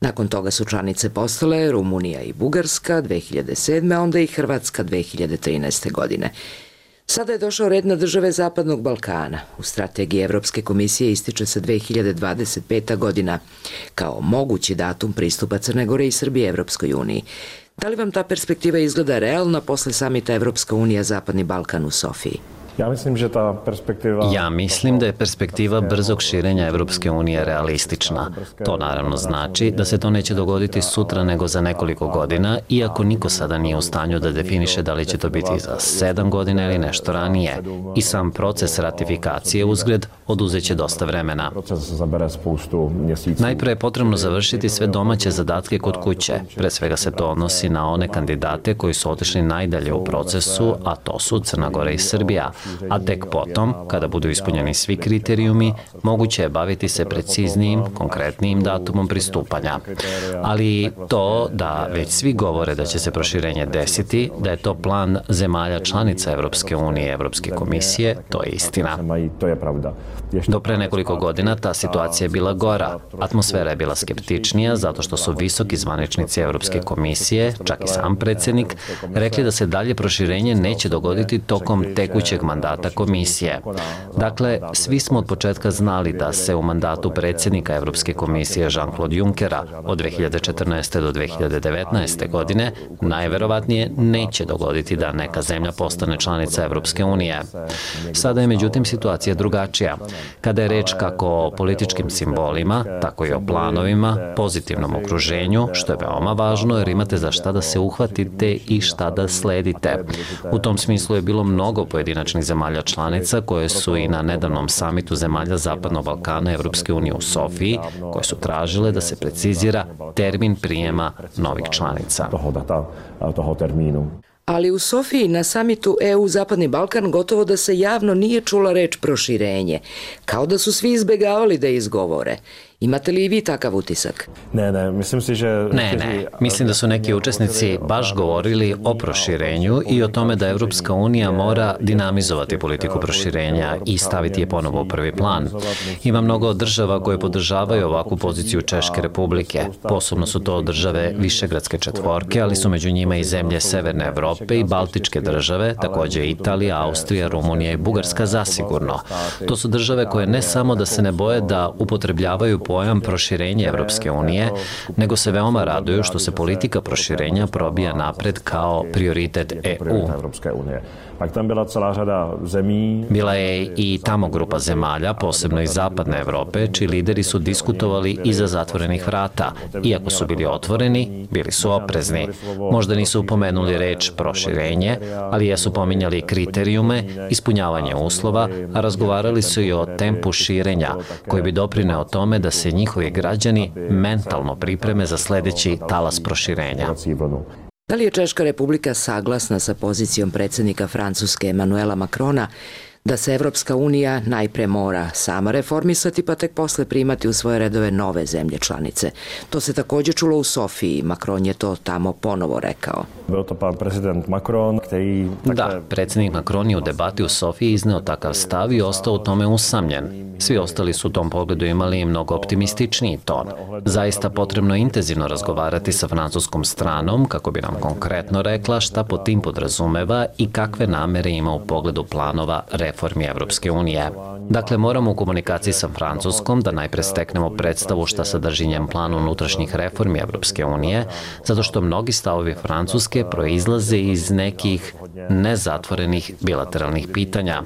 Nakon toga su članice postale Rumunija i Bugarska dve hiljade sedme. a onda i Hrvatska dve hiljade trinaeste. godine. Sada je došao red na države Zapadnog Balkana. U strategiji Evropske komisije ističe se dve hiljade dvadeset peta. godina kao mogući datum pristupa Crne Gore i Srbije Evropskoj uniji. Da li vam ta perspektiva izgleda realna posle samita Evropska unija Zapadni Balkan u Sofiji? Ja mislim, že ta perspektiva... Ja mislim da je perspektiva brzog širenja Evropske unije realistična. To naravno znači da se to neće dogoditi sutra nego za nekoliko godina, iako niko sada nije u stanju da definiše da li će to biti za sedam godina ili nešto ranije. I sam proces ratifikacije uzgred oduzeće dosta vremena. Najpre je potrebno završiti sve domaće zadatke kod kuće. Pre svega se to odnosi na one kandidate koji su otišli najdalje u procesu, a to su Crna Gora i Srbija. A tek potom, kada budu ispunjeni svi kriterijumi, moguće je baviti se preciznijim, konkretnijim datumom pristupanja. Ali to da već svi govore da će se proširenje desiti, da je to plan zemalja članica Evropske unije i Evropske komisije, to je istina. Do pre nekoliko godina ta situacija je bila gora. Atmosfera je bila skeptičnija zato što su visoki zvaničnici Evropske komisije, čak i sam predsjednik, rekli da se dalje proširenje neće dogoditi tokom tekućeg mandata komisije. Dakle, svi smo od početka znali da se u mandatu predsjednika Evropske komisije Jean-Claude Junckera od dve hiljade četrnaeste. do dve hiljade devetnaeste. godine najverovatnije neće dogoditi da neka zemlja postane članica Evropske unije. Sada je međutim situacija drugačija. Kada je reč kako o političkim simbolima, tako i o planovima, pozitivnom okruženju, što je veoma važno jer imate za šta da se uhvatite i šta da sledite. U tom smislu je bilo mnogo pojedinačnih zemalja članica koje su i na nedavnom samitu zemalja Zapadnog Balkana Evropske unije u Sofiji, koje su tražile da se precizira termin prijema novih članica. Ali u Sofiji na samitu E U Zapadni Balkan gotovo da se javno nije čula reč proširenje, kao da su svi izbegavali da izgovore. Imate li i vi takav utisak? Ne, ne, mislim si, že... Ne, ne. Mislim da su neki učesnici baš govorili o proširenju i o tome da Evropska unija mora dinamizovati politiku proširenja i staviti je ponovo u prvi plan. Ima mnogo država koje podržavaju ovakvu poziciju Češke Republike. Posebno su to države Višegradske četvorke, ali su među njima i zemlje Severne Evrope i Baltičke države, takođe Italija, Austrija, Rumunija i Bugarska zasigurno. To su države koje ne samo da se ne boje da upotrebljavaju pojam proširenja Evropske unije, nego se veoma raduju što se politika proširenja probija napred kao prioritet E U. Bila je i tamo grupa zemalja, posebno iz zapadne Evrope, čiji lideri su diskutovali iza zatvorenih vrata. Iako su bili otvoreni, bili su oprezni. Možda nisu pomenuli reč proširenje, ali jesu pominjali kriterijume, ispunjavanje uslova, a razgovarali su i o tempu širenja, koji bi doprineo tome da se njihovi građani mentalno pripreme za sledeći talas proširenja. Da li je Češka Republika saglasna sa pozicijom predsjednika Francuske Emanuela Macrona da se Evropska unija najpre mora sama reformisati pa tek posle primati u svoje redove nove zemlje članice? To se također čulo u Sofiji. Macron je to tamo ponovo rekao. Da, predsjednik Macron je u debati u Sofiji izneo takav stav i ostao u tome usamljen. Svi ostali su u tom pogledu imali mnogo optimističniji ton. Zaista potrebno je intenzivno razgovarati sa francuskom stranom kako bi nam konkretno rekla šta pod tim podrazumeva i kakve namere ima u pogledu planova reformi Evropske unije. Dakle, moramo u komunikaciji sa Francuskom da najpre steknemo predstavu šta sadrži njen plan unutrašnjih reformi Evropske unije, zato što mnogi stavovi Francuske proizlaze iz nekih nezatvorenih bilateralnih pitanja.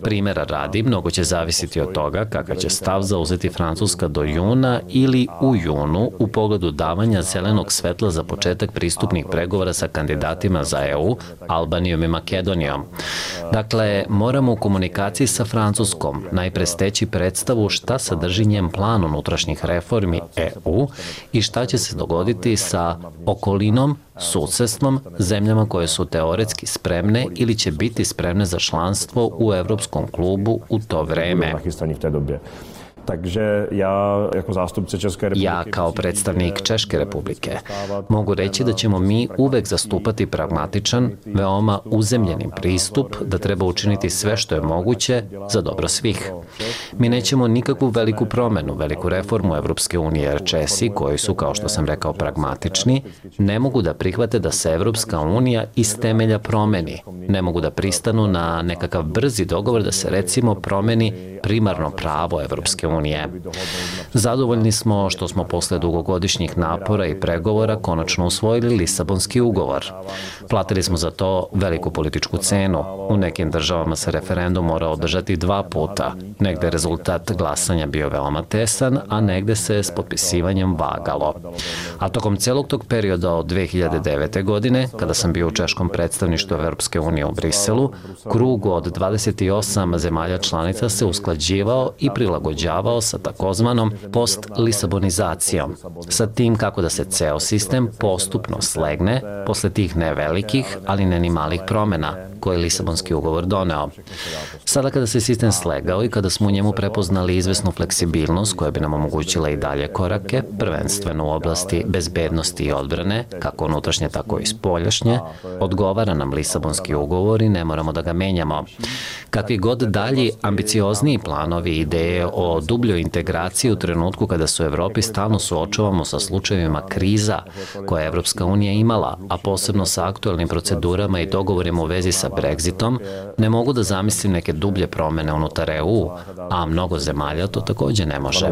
Primera radi, mnogo će zavisiti od toga kakav će stav zauzeti Francuska do juna ili u junu u pogledu davanja zelenog svetla za početak pristupnih pregovora sa kandidatima za E U, Albanijom i Makedonijom. Dakle, moramo u komunikaciji sa Francuskom najpre steći predstavu šta sadrži njen plan unutrašnjih reformi E U i šta će se dogoditi sa okolinom, susedstvom, zemljama koje su teoretski spremne ili će biti spremne za članstvo u Evropskom klubu u to vreme. Takže ja, jako zástupce České republiky... Ja, kao predstavnik Češke Republike, mogu reći da ćemo mi uvek zastupati pragmatičan, veoma uzemljeni pristup da treba učiniti sve što je moguće za dobro svih. Mi nećemo nikakvu veliku promenu, veliku reformu Evropske unije, jer Česi, koji su, kao što sam rekao, pragmatični, ne mogu da prihvate da se Evropska unija iz temelja promeni. Ne mogu da pristanu na nekakav brzi dogovor da se, recimo, promeni primarno pravo Evropske unije. Zadovoljni smo što smo posle dugogodišnjih napora i pregovora konačno usvojili Lisabonski ugovor. Platili smo za to veliku političku cenu. U nekim državama se referendum mora održati dva puta. Negde je rezultat glasanja bio veoma tesan, a negde se s potpisivanjem vagalo. A tokom celog tog perioda od dve hiljade devete. godine, kada sam bio u češkom predstavništvu Evropske unije u Briselu, krug od dvadeset osam zemalja članica se usklađivao i prilagođavao sa takozvanom post-lisabonizacijom, sa tim kako da se ceo sistem postupno slegne posle tih nevelikih, ali ne ni malih promena koje je Lisabonski ugovor doneo. Sada kada se sistem slegao i kada smo u njemu prepoznali izvesnu fleksibilnost koja bi nam omogućila i dalje korake, prvenstveno u oblasti bezbednosti i odbrane, kako unutrašnje, tako i spoljašnje, odgovara nam Lisabonski ugovor i ne moramo da ga menjamo. Kakvi god dalji ambiciozniji planovi i ideje o dubljoj integraciji u trenutku kada se u Evropi stalno suočavamo sa slučajevima kriza koje je Evropska unija imala, a posebno sa aktuelnim procedurama i dogovorima u vezi sa Brexitom, ne mogu da zamislim neke dublje promene unutar E U, a mnogo zemalja to takođe ne može.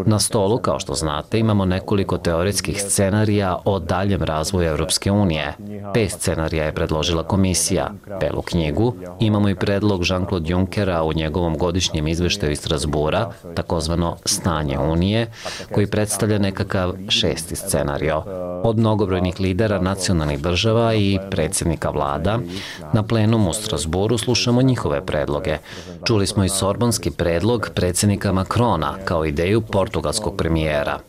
Na stolu, kao što znate, imamo nekoliko teoretskih scenarija o daljem razvoju Evropske unije. Pet scenarija je predložila komisija. Belu knjigu imamo i predlog Jean-Claude Junckera u njegovom godišnjem izveštaju iz Strasbura, takozvano Stanje Unije, koji predstavlja nekakav šesti scenario. od mnogobrojnih lidera nacionalnih država i predsjednika vlada. Na plenumu u Strasburu slušamo njihove predloge. Čuli smo i sorbonski predlog predsjednika Macrona kao ideju portugalskog premijera.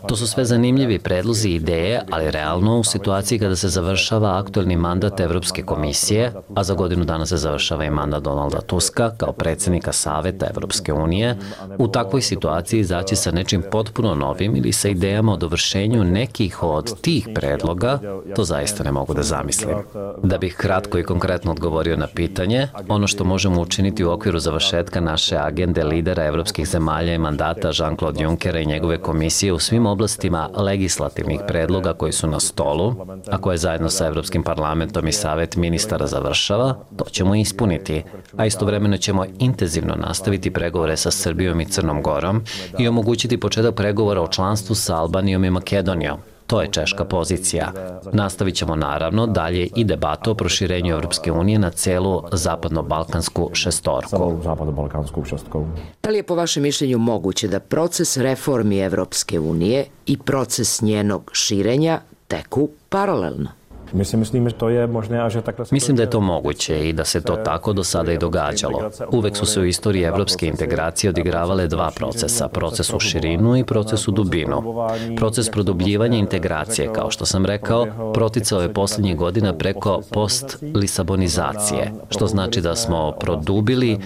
To su sve zanimljivi predlozi i ideje, ali realno u situaciji kada se završava aktuelni mandat Evropske komisije, a za godinu dana se završava i mandat Donalda Tuska kao predsjednika Saveta Evropske unije, u takvoj situaciji izaći sa nečim potpuno novim ili sa idejama o dovršenju nekih od tih predloga, to zaista ne mogu da zamislim. Da bih kratko i konkretno odgovorio na pitanje, ono što možemo učiniti u okviru završetka naše agende lidera evropskih zemalja i mandata Jean-Claude Junckera i njegove komisije u svim oblastima legislativnih predloga koji su na stolu, a koje zajedno sa Evropskim parlamentom i Savet ministara završava, to ćemo ispuniti, a istovremeno ćemo intenzivno nastaviti pregovore sa Srbijom i Crnom Gorom i omogućiti početak pregovora o članstvu sa Albanijom i Makedonijom. To je češka pozicija. Nastavit ćemo naravno dalje i debatu o proširenju Evropske unije na celu zapadno-balkansku šestorku. Da li je po vašem mišljenju moguće da proces reformi Evropske unije i proces njenog širenja teku paralelno? Mislim da je to moguće i da se to tako do sada i događalo. Uvek su se u istoriji evropske integracije odigravale dva procesa, proces u širinu i proces u dubinu. Proces produbljivanja integracije, kao što sam rekao, proticao je posljednjih godina preko post-lisabonizacije, što znači da smo produbili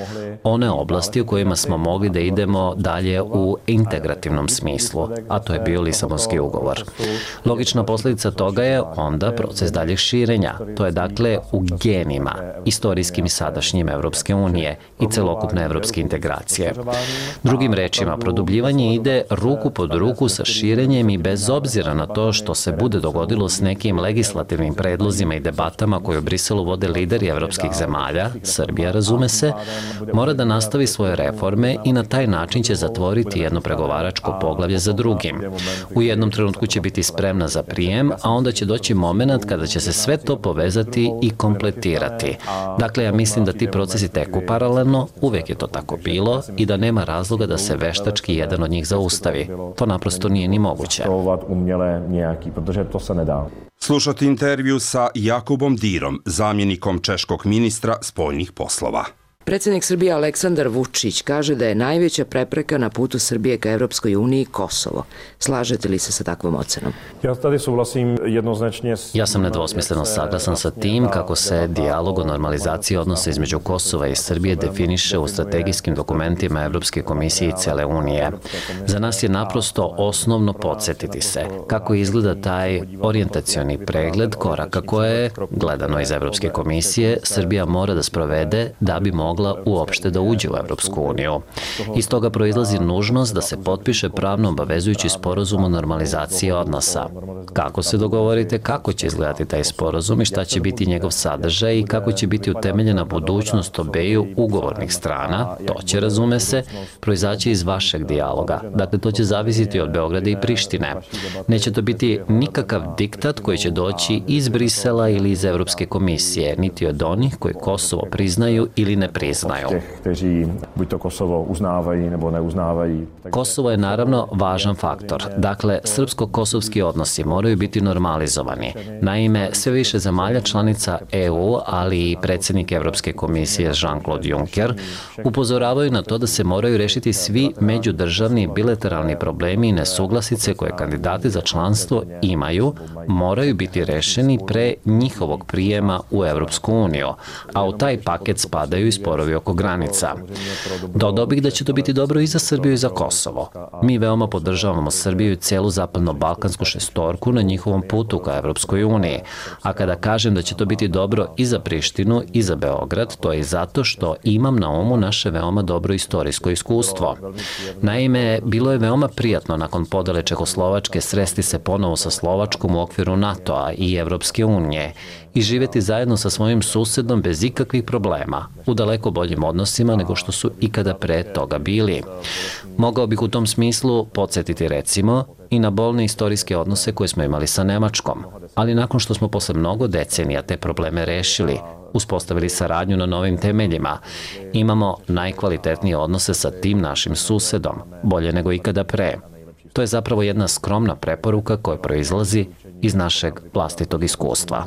one oblasti u kojima smo mogli da idemo dalje u integrativnom smislu, a to je bio Lisabonski ugovor. Logična posljedica toga je onda proces daljeg širenja. To je dakle u genima, istorijskim i sadašnjim Evropske unije i celokupne evropske integracije. Drugim rečima, produbljivanje ide ruku pod ruku sa širenjem i bez obzira na to što se bude dogodilo s nekim legislativnim predlozima i debatama koje u Briselu vode lideri evropskih zemalja, Srbija razume se, mora da nastavi svoje reforme i na taj način će zatvoriti jedno pregovaračko poglavlje za drugim. U jednom trenutku će biti spremna za prijem, a onda će doći moment kada će se sve to povezati i kompletirati. Dakle, ja mislim da ti procesi teku paralelno, uvek je to tako bilo i da nema razloga da se veštački jedan od njih zaustavi. To naprosto nije ni moguće. Slušati intervju sa Jakubom Dirom, zamjenikom češkog ministra spoljnih poslova. Predsjednik Srbije Aleksandar Vučić kaže da je najveća prepreka na putu Srbije ka Evropskoj uniji Kosovo. Slažete li se sa takvom ocenom? Ja sam nedvosmisleno saglasan sa tim kako se dijalog o normalizaciji odnosa između Kosova i Srbije definiše u strategijskim dokumentima Evropske komisije i cele Unije. Za nas je naprosto osnovno podsjetiti se kako izgleda taj orijentacioni pregled koraka koje, gledano iz Evropske komisije, Srbija mora da sprovede da bi mogla uopšte da uđe u Evropsku uniju. Iz toga proizlazi nužnost da se potpiše pravno obavezujući sporazum o normalizaciji odnosa. Kako se dogovorite kako će izgledati taj sporazum i šta će biti njegov sadržaj i kako će biti utemeljena budućnost obeju ugovornih strana, to će, razume se, proizaći iz vašeg dijaloga. Dakle, to će zavisiti od Beograda i Prištine. Neće to biti nikakav diktat koji će doći iz Brisela ili iz Evropske komisije, niti od onih koji Kosovo priznaju ili ne priznaju. Kosovo je naravno važan faktor. Dakle, srpsko-kosovski odnosi moraju biti normalizovani. Naime, sve više zemalja članica E U, ali i predsjednik Evropske komisije Jean-Claude Juncker, upozoravaju na to da se moraju rešiti svi međudržavni bilateralni problemi i nesuglasice koje kandidati za članstvo imaju, moraju biti rešeni pre njihovog prijema u Evropsku uniju, a u taj paket spadaju i sporovi oko granica. Dodao bih da će to biti dobro i za Srbiju i za Kosovo. Mi veoma podržavamo Srbiju i cijelu zapadno-balkansku šestorku na njihovom putu ka Evropskoj uniji, a kada kažem da će to biti dobro i za Prištinu i za Beograd, to je i zato što imam na umu naše veoma dobro istorijsko iskustvo. Naime, bilo je veoma prijatno nakon podele Čehoslovačke sresti se ponovo sa Slovačkom u okviru NATO-a i Evropske unije i živjeti zajedno sa svojim susedom bez ikakvih problema, u daleko boljim odnosima nego što su ikada pre toga bili. Mogao bih u tom smislu podsjetiti recimo i na bolne istorijske odnose koje smo imali sa Nemačkom, ali nakon što smo posle mnogo decenija te probleme rešili, uspostavili saradnju na novim temeljima, imamo najkvalitetnije odnose sa tim našim susedom, bolje nego ikada pre. To je zapravo jedna skromna preporuka koja proizlazi iz našeg vlastitog iskustva.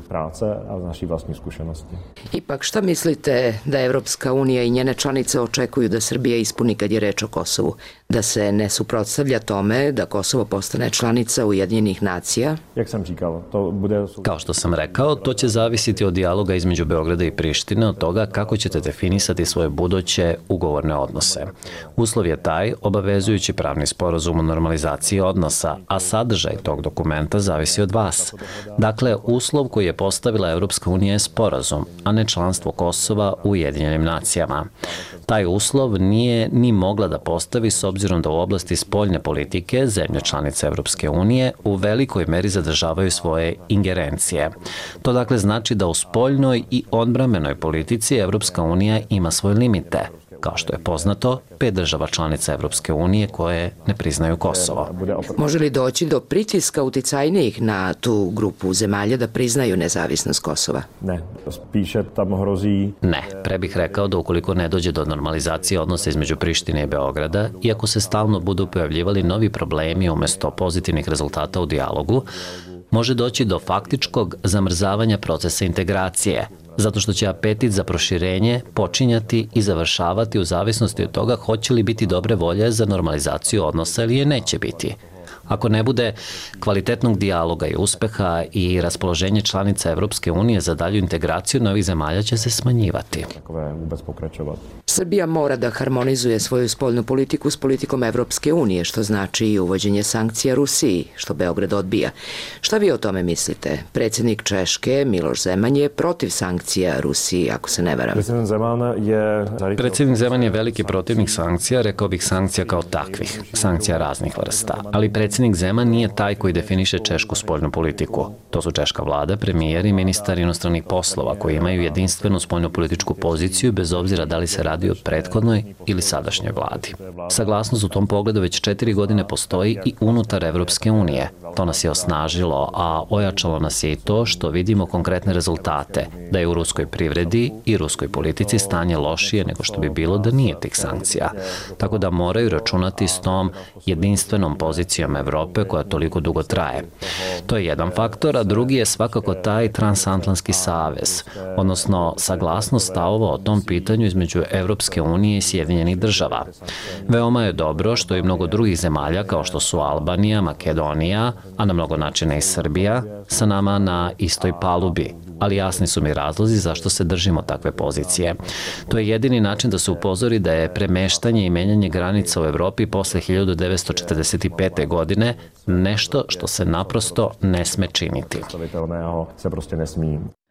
Ipak, šta mislite da Evropska unija i njene članice očekuju da Srbija ispuni kad je reč o Kosovu? Da se ne suprotstavlja tome da Kosovo postane članica Ujedinjenih nacija? Kao što sam rekao, to će zavisiti od dijaloga između Beograda i Prištine, od toga kako ćete definisati svoje buduće ugovorne odnose. Uslov je taj obavezujući pravni sporazum o normalizaciji odnosa, a sadržaj tog dokumenta zavisi od vas. Dakle, uslov koji je postavila Evropska unija je sporazum, a ne članstvo Kosova u Ujedinjenim nacijama. Taj uslov nije ni mogla da postavi s obzirom da u oblasti spoljne politike zemlje članice Evropske unije u velikoj meri zadržavaju svoje ingerencije. To dakle znači da u spoljnoj i odbrambenoj politici Evropska unija ima svoje limite. Kao što je poznato, pet država članica Evropske unije koje ne priznaju Kosovo. Može li doći do pritiska uticajnijih na tu grupu zemalja da priznaju nezavisnost Kosova? Ne, spíše tam hrozí. Ne, pre bih rekao da ukoliko ne dođe do normalizacije odnosa između Prištine i Beograda, iako se stalno budu pojavljivali novi problemi umesto pozitivnih rezultata u dijalogu, može doći do faktičkog zamrzavanja procesa integracije, zato što će apetit za proširenje počinjati i završavati u zavisnosti od toga hoće li biti dobre volje za normalizaciju odnosa ili je neće biti. Ako ne bude kvalitetnog dijaloga i uspeha i raspoloženje članica Evropske unije za dalju integraciju novih zemalja će se smanjivati. Srbija mora da harmonizuje svoju spoljnu politiku s politikom Evropske unije, što znači i uvođenje sankcija Rusiji, što Beograd odbija. Šta vi o tome mislite? Predsjednik Češke, Miloš Zeman, je protiv sankcija Rusiji, ako se ne varam. Predsjednik Zeman je veliki protivnik sankcija, rekao bih sankcija kao takvih, sankcija raznih vrsta. Ali predsjednik Zeman nije taj koji definiše češku spoljnu politiku. To su češka vlada, premijer i ministar inostranih poslova koji imaju jedinstvenu spoljnu političku poziciju bez obzira da li se radi o prethodnoj ili sadašnjoj vladi. Saglasnost u tom pogledu već četiri godine postoji i unutar Evropske unije. To nas je osnažilo, a ojačalo nas je i to što vidimo konkretne rezultate, da je u ruskoj privredi i ruskoj politici stanje lošije nego što bi bilo da nije tih sankcija. Tako da moraju računati s tom jedinstvenom pozicijom Evrope koja toliko dugo traje. To je jedan faktor, a drugi je svakako taj transatlantski savez, odnosno saglasnost stavova o tom pitanju između Evropske unije i Sjedinjenih država. Veoma je dobro što i mnogo drugih zemalja kao što su Albanija, Makedonija, a na mnogo načina i Srbija, sa nama na istoj palubi. Ali jasni su mi razlozi zašto se držimo takve pozicije. To je jedini način da se upozori da je premeštanje i menjanje granica u Evropi posle hiljadu devetsto četrdeset pete. godine nešto što se naprosto ne sme činiti.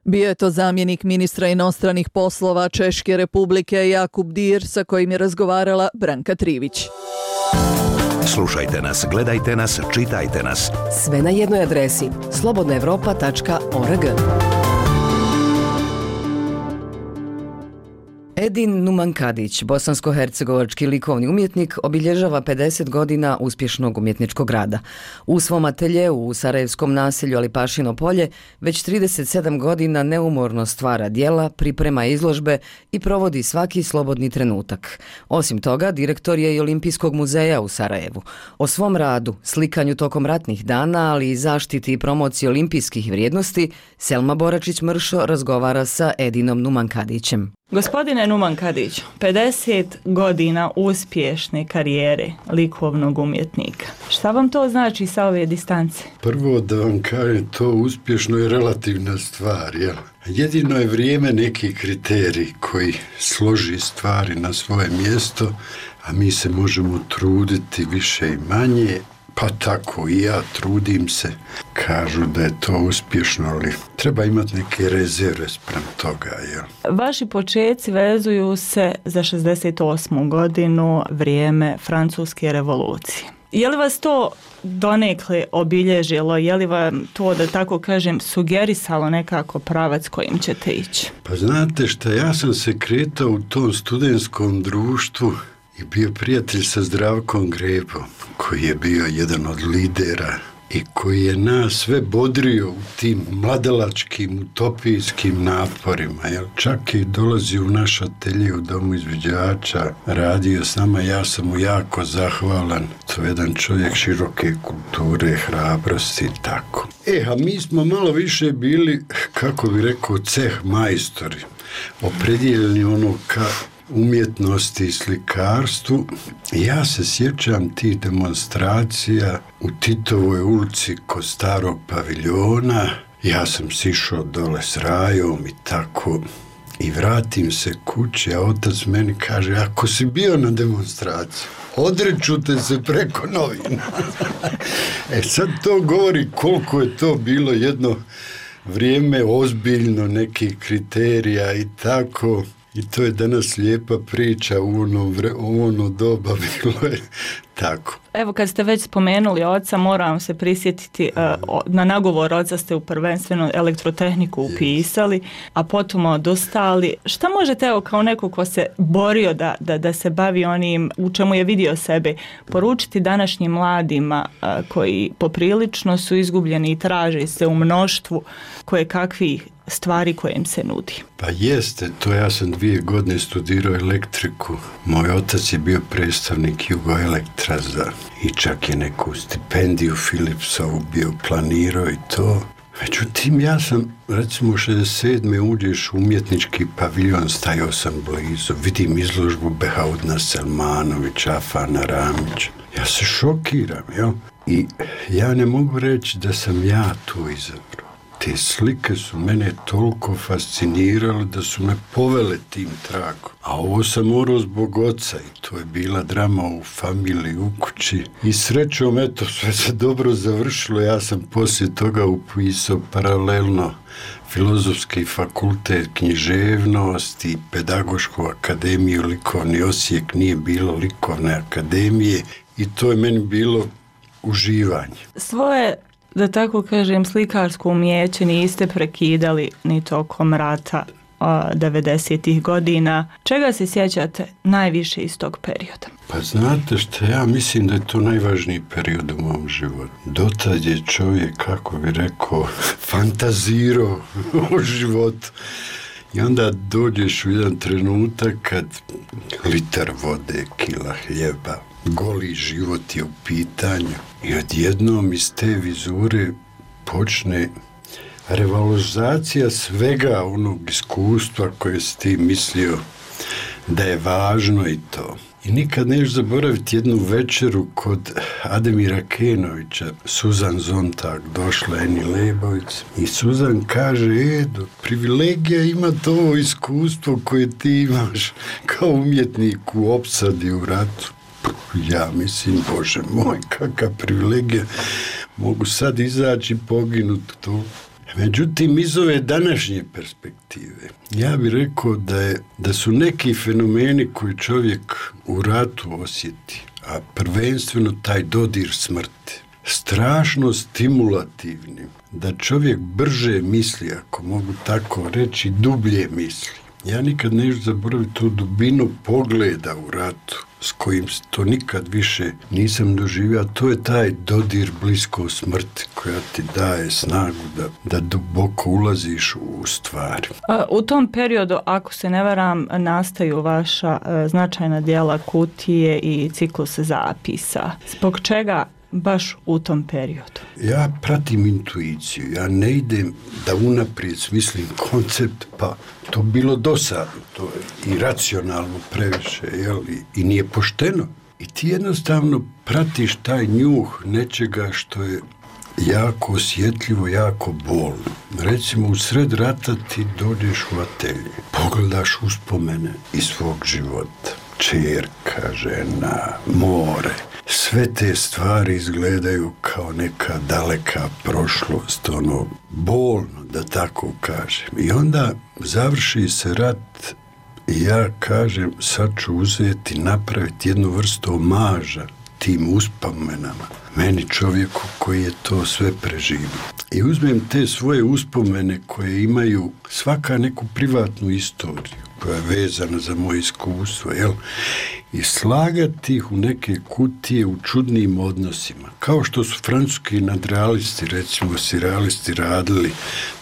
Bio je to zamjenik ministra inostranih poslova Češke Republike Jakub Dir sa kojim je razgovarala Branka Trivić. Slušajte nas, gledajte nas, čitajte nas. Sve na jednoj adresi slobodna evropa tačka org. Edin Numankadić, bosansko-hercegovački likovni umjetnik, obilježava pedeset godina uspješnog umjetničkog rada. U svom ateljeu u sarajevskom naselju Alipašino polje već trideset sedam godina neumorno stvara djela, priprema izložbe i provodi svaki slobodni trenutak. Osim toga, direktor je i Olimpijskog muzeja u Sarajevu. O svom radu, slikanju tokom ratnih dana, ali i zaštiti i promociji olimpijskih vrijednosti, Selma Boračić-Mršo razgovara sa Edinom Numankadićem. Gospodine Numankadić, pedeset godina uspješne karijere likovnog umjetnika. Šta vam to znači sa ove distance? Prvo da vam kažem, to uspješno je relativna stvar, jel? Jedino je vrijeme neki kriterij koji složi stvari na svoje mjesto, a mi se možemo truditi više i manje. Pa tako i ja trudim se. Kažu da je to uspješno, ali treba imati neke rezerve sprem toga. Jel? Vaši počeci vezuju se za šezdeset osmu godinu, vrijeme Francuske revolucije. Je li vas to donekle obilježilo? Je li vam to, da tako kažem, sugerisalo nekako pravac kojim ćete ići? Pa znate šta, ja sam se kretao u tom studentskom društvu i bio prijatelj sa Zdravkom Grebom, koji je bio jedan od lidera i koji je nas sve bodrio u tim mladalačkim, utopijskim naporima. Jel? Čak i dolazio u naš atelje u Domu izviđača, radio s nama, ja sam mu jako zahvalan. To je jedan čovjek široke kulture, hrabrosti i tako. E, a mi smo malo više bili, kako bi rekao, ceh majstori, opredjeljeni ono ka umjetnosti i slikarstvu. Ja se sjećam tih demonstracija u Titovoj ulici kod starog paviljona. Ja sam sišao dole s rajom i tako. I vratim se kući, a otac meni kaže, ako si bio na demonstraciji, odreću te se preko novina. E sad to govori koliko je to bilo jedno vrijeme ozbiljno, nekih kriterija i tako. I to je danas lijepa priča, u ono, vre, u ono doba bilo je tako. Evo kad ste već spomenuli oca, moram se prisjetiti, uh, na nagovor oca ste u prvenstveno elektrotehniku upisali, a potom odustali. Šta možete, evo kao neko ko se borio da, da, da se bavi onim u čemu je vidio sebe, poručiti današnjim mladima uh, koji poprilično su izgubljeni i traže se u mnoštvu koje kakvih stvari koje im se nudi? Pa jeste, to ja sam dvije godine studirao elektriku. Moj otac je bio predstavnik Jugoelektra za, i čak je neku stipendiju Philipsovu bio planirao i to. Međutim, ja sam, recimo, u šezdeset sedme uđeš u umjetnički paviljon, stajao sam blizu, vidim izložbu Behaudna Selmanovića, Afana Ramića. Ja se šokiram, jel? I ja ne mogu reći da sam ja tu izabrao. Te slike su mene toliko fascinirale da su me povele tim tragom. A ovo sam morao zbog oca i to je bila drama u familiji, u kući. I srećom, eto, sve se dobro završilo. Ja sam poslije toga upisao paralelno Filozofski fakultet, književnost i Pedagošku akademiju. Likovni Osijek, nije bilo likovne akademije i to je meni bilo uživanje. Svoje, da tako kažem, slikarsko umjeće niste prekidali ni tokom rata devedesetih godina. Čega se sjećate najviše iz tog perioda? Pa znate što, ja mislim da je to najvažniji period u mom životu. Dotad je čovjek, kako bi rekao, fantazirao o životu. I onda dođeš u jedan trenutak kad litar vode, kila hljeba, goli život je u pitanju i odjednom iz te vizure počne revalorizacija svega onog iskustva koje si ti mislio da je važno i to. I nikad neš zaboraviti jednu večeru kod Ademira Kenovića, Suzan Zontag, došla Eni Lebović i Suzan kaže, Edo, privilegija ima to iskustvo koje ti imaš kao umjetnik u opsadi u ratu. Ja mislim, Bože moj, kakva privilegija, mogu sad izaći i poginuti tu. Međutim, iz ove današnje perspektive, ja bih rekao da, je, da su neki fenomeni koji čovjek u ratu osjeti, a prvenstveno taj dodir smrti, strašno stimulativni, da čovjek brže misli, ako mogu tako reći, dublje misli. Ja nikad neću zaboraviti tu dubinu pogleda u ratu, s kojim to nikad više nisam doživio, a to je taj dodir blisko smrti koja ti daje snagu da, da duboko ulaziš u stvari. U tom periodu, ako se ne varam, nastaju vaša značajna djela Kutije i ciklus zapisa. Zbog čega baš u tom periodu? Ja pratim intuiciju, ja ne idem da unaprijed smislim koncept, pa to bilo dosadno, to je iracionalno previše, jel? I, i nije pošteno. I ti jednostavno pratiš taj njuh nečega što je jako osjetljivo, jako bolno. Recimo, u sred rata ti dođeš u atelje, pogledaš uspomene iz svog života. Čerka, žena, more. Sve te stvari izgledaju kao neka daleka prošlost, ono, bolno, da tako kažem. I onda završi se rat i ja kažem, sad ću uzeti, napraviti jednu vrstu omaža tim uspomenama, meni čovjeku koji je to sve preživio. I uzmem te svoje uspomene koje imaju svaka neku privatnu istoriju koja je vezana za moje iskustvo, jel? I slagati ih u neke kutije u čudnim odnosima. Kao što su francuski nadrealisti, recimo sirrealisti, radili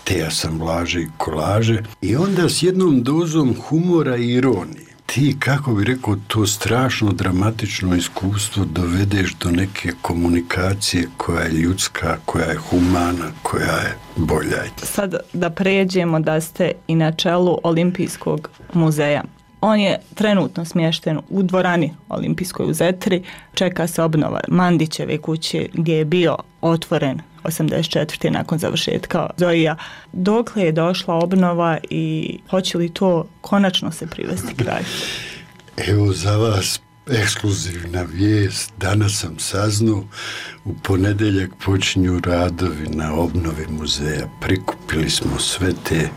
te asamblaže i kolaže. I onda s jednom dozom humora i ironije ti, kako bi rekao, to strašno dramatično iskustvo dovedeš do neke komunikacije koja je ljudska, koja je humana, koja je bolja. Sad da pređemo da ste i na čelu Olimpijskog muzeja. On je trenutno smješten u dvorani Olimpijskoj u Zetri. Čeka se obnova Mandićeve kuće gdje je bio otvoren osamdeset četvrte nakon završetka Zoija. Dokle je došla obnova i hoće li to konačno se privesti kraju? Evo za vas ekskluzivna vijest. Danas sam saznao, u ponedjeljak počinju radovi na obnovi muzeja. Prikupili smo sve te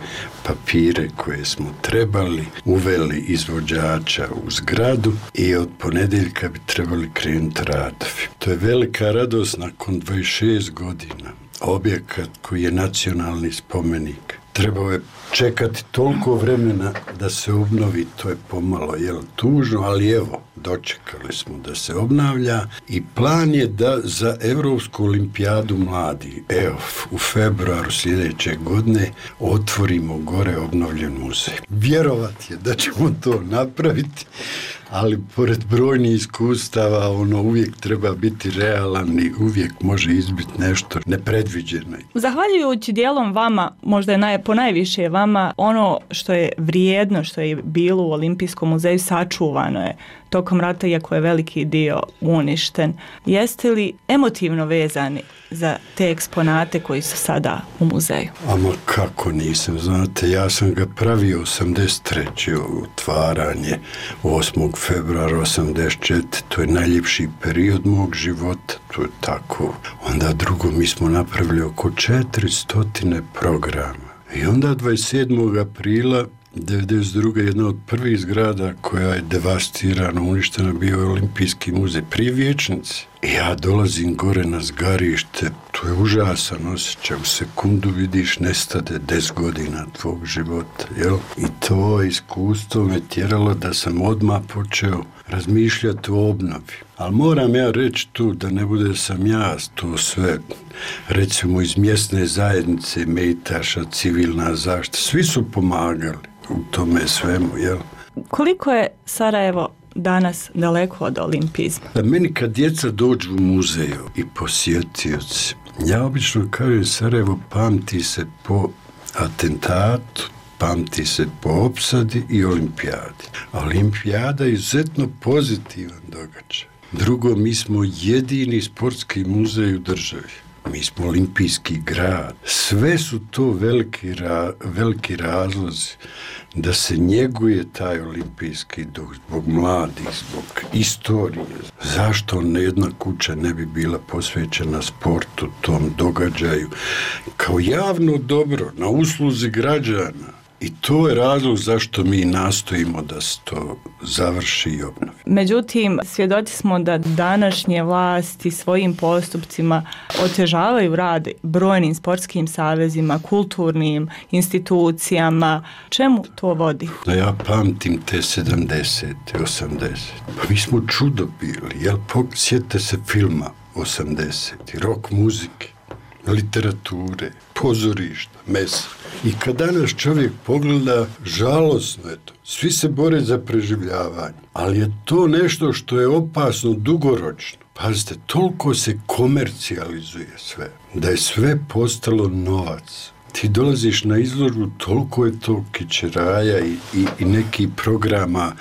papire koje smo trebali, uveli izvođača u zgradu i od ponedjeljka bi trebali krenuti radovi. To je velika radost nakon dvadeset šest godina. Objekat koji je nacionalni spomenik. Trebao je čekati toliko vremena da se obnovi, to je pomalo jel, tužno, ali evo, dočekali smo da se obnavlja i plan je da za Europsku olimpijadu mladi, evo, u februaru sljedeće godine otvorimo gore obnovljen muzej. Vjerovat je da ćemo to napraviti, ali pored brojnih iskustava ono uvijek treba biti realan i uvijek može izbiti nešto nepredviđeno. Zahvaljujući dijelom vama, možda je naj, po najviše vama, ono što je vrijedno, što je bilo u Olimpijskom muzeju sačuvano je tokom rata, iako je veliki dio uništen. Jeste li emotivno vezani za te eksponate koji su sada u muzeju? Ama kako nisam, znate, ja sam ga pravio osamdeset treće otvaranje osmog februara osamdeset četvrte To je najljepši period mog života, to je tako. Onda drugo, mi smo napravili oko četiristo programa. I onda dvadeset sedmog aprila devedeset druge jedna od prvih zgrada koja je devastirana, uništena, bio je Olimpijski muzej pri vijećnici. I ja dolazim gore na zgarište, to je užasan osjećaj, u sekundu vidiš nestade deset godina tvog života, jel? I to iskustvo me tjeralo da sam odmah počeo razmišljati o obnovi. Ali moram ja reći tu da ne bude sam ja to sve, recimo iz mjesne zajednice, Mejtaša, civilna zaštita, svi su pomagali u tome svemu, jel? Koliko je Sarajevo danas daleko od olimpizma? Da meni kad djeca dođu u muzeju i posjetioci, ja obično kažem Sarajevo pamti se po atentatu, pamti se po opsadi i olimpijadi. A olimpijada je izuzetno pozitivan događaj. Drugo, mi smo jedini sportski muzej u državi. Mi smo olimpijski grad. Sve su to veliki, ra, veliki razlozi da se njeguje taj olimpijski duh zbog mladih, zbog istorije. Zašto jedna kuća ne bi bila posvećena sportu, tom događaju, kao javno dobro, na usluzi građana? I to je razlog zašto mi nastojimo da se to završi i obnovi. Međutim, svjedoci smo da današnje vlasti svojim postupcima otežavaju rad brojnim sportskim savezima, kulturnim institucijama. Čemu to vodi? Da ja pamtim te sedamdesete, osamdesete Pa mi smo čudo bili, jel? Sjetite se filma osamdesetih rock muzike, literature, pozorišta, mesa. I kad danas čovjek pogleda, žalosno je to. Svi se bore za preživljavanje, ali je to nešto što je opasno dugoročno. Pazite, toliko se komercijalizuje sve, da je sve postalo novac. Ti dolaziš na izložbu, toliko je to kičeraja i, i, i neki programa,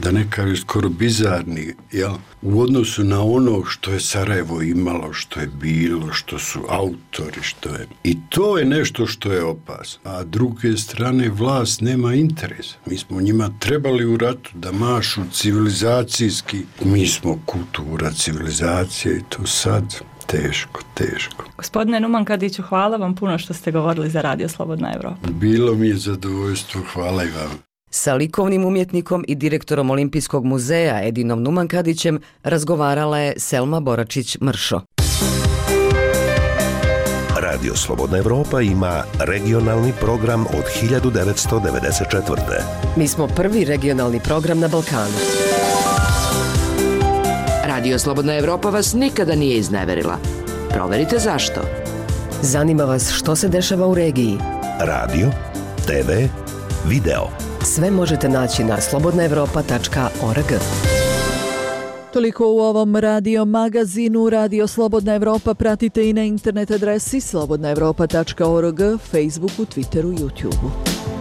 da ne kažem skoro bizarni, jel? U odnosu na ono što je Sarajevo imalo, što je bilo, što su autori, što je. I to je nešto što je opasno. A druge strane, vlast nema interesa. Mi smo njima trebali u ratu da mašu civilizacijski. Mi smo kultura, civilizacija i to sad teško, teško. Gospodine Numan Kadiću, hvala vam puno što ste govorili za Radio Slobodna Evropa. Bilo mi je zadovoljstvo, hvala i vam. Sa likovnim umjetnikom i direktorom Olimpijskog muzeja Edinom Numankadićem razgovarala je Selma Boračić-Mršo. Radio Slobodna Evropa ima regionalni program od hiljadu devetsto devedeset četvrte. Mi smo prvi regionalni program na Balkanu. Radio Slobodna Evropa vas nikada nije izneverila. Proverite zašto. Zanima vas što se dešava u regiji. Radio, te ve, video. Sve možete naći na slobodna evropa tačka org. Toliko u ovom radio magazinu. Radio Slobodna Evropa pratite i na internet adresi slobodna evropa tačka org, Facebooku, Twitteru, YouTubeu.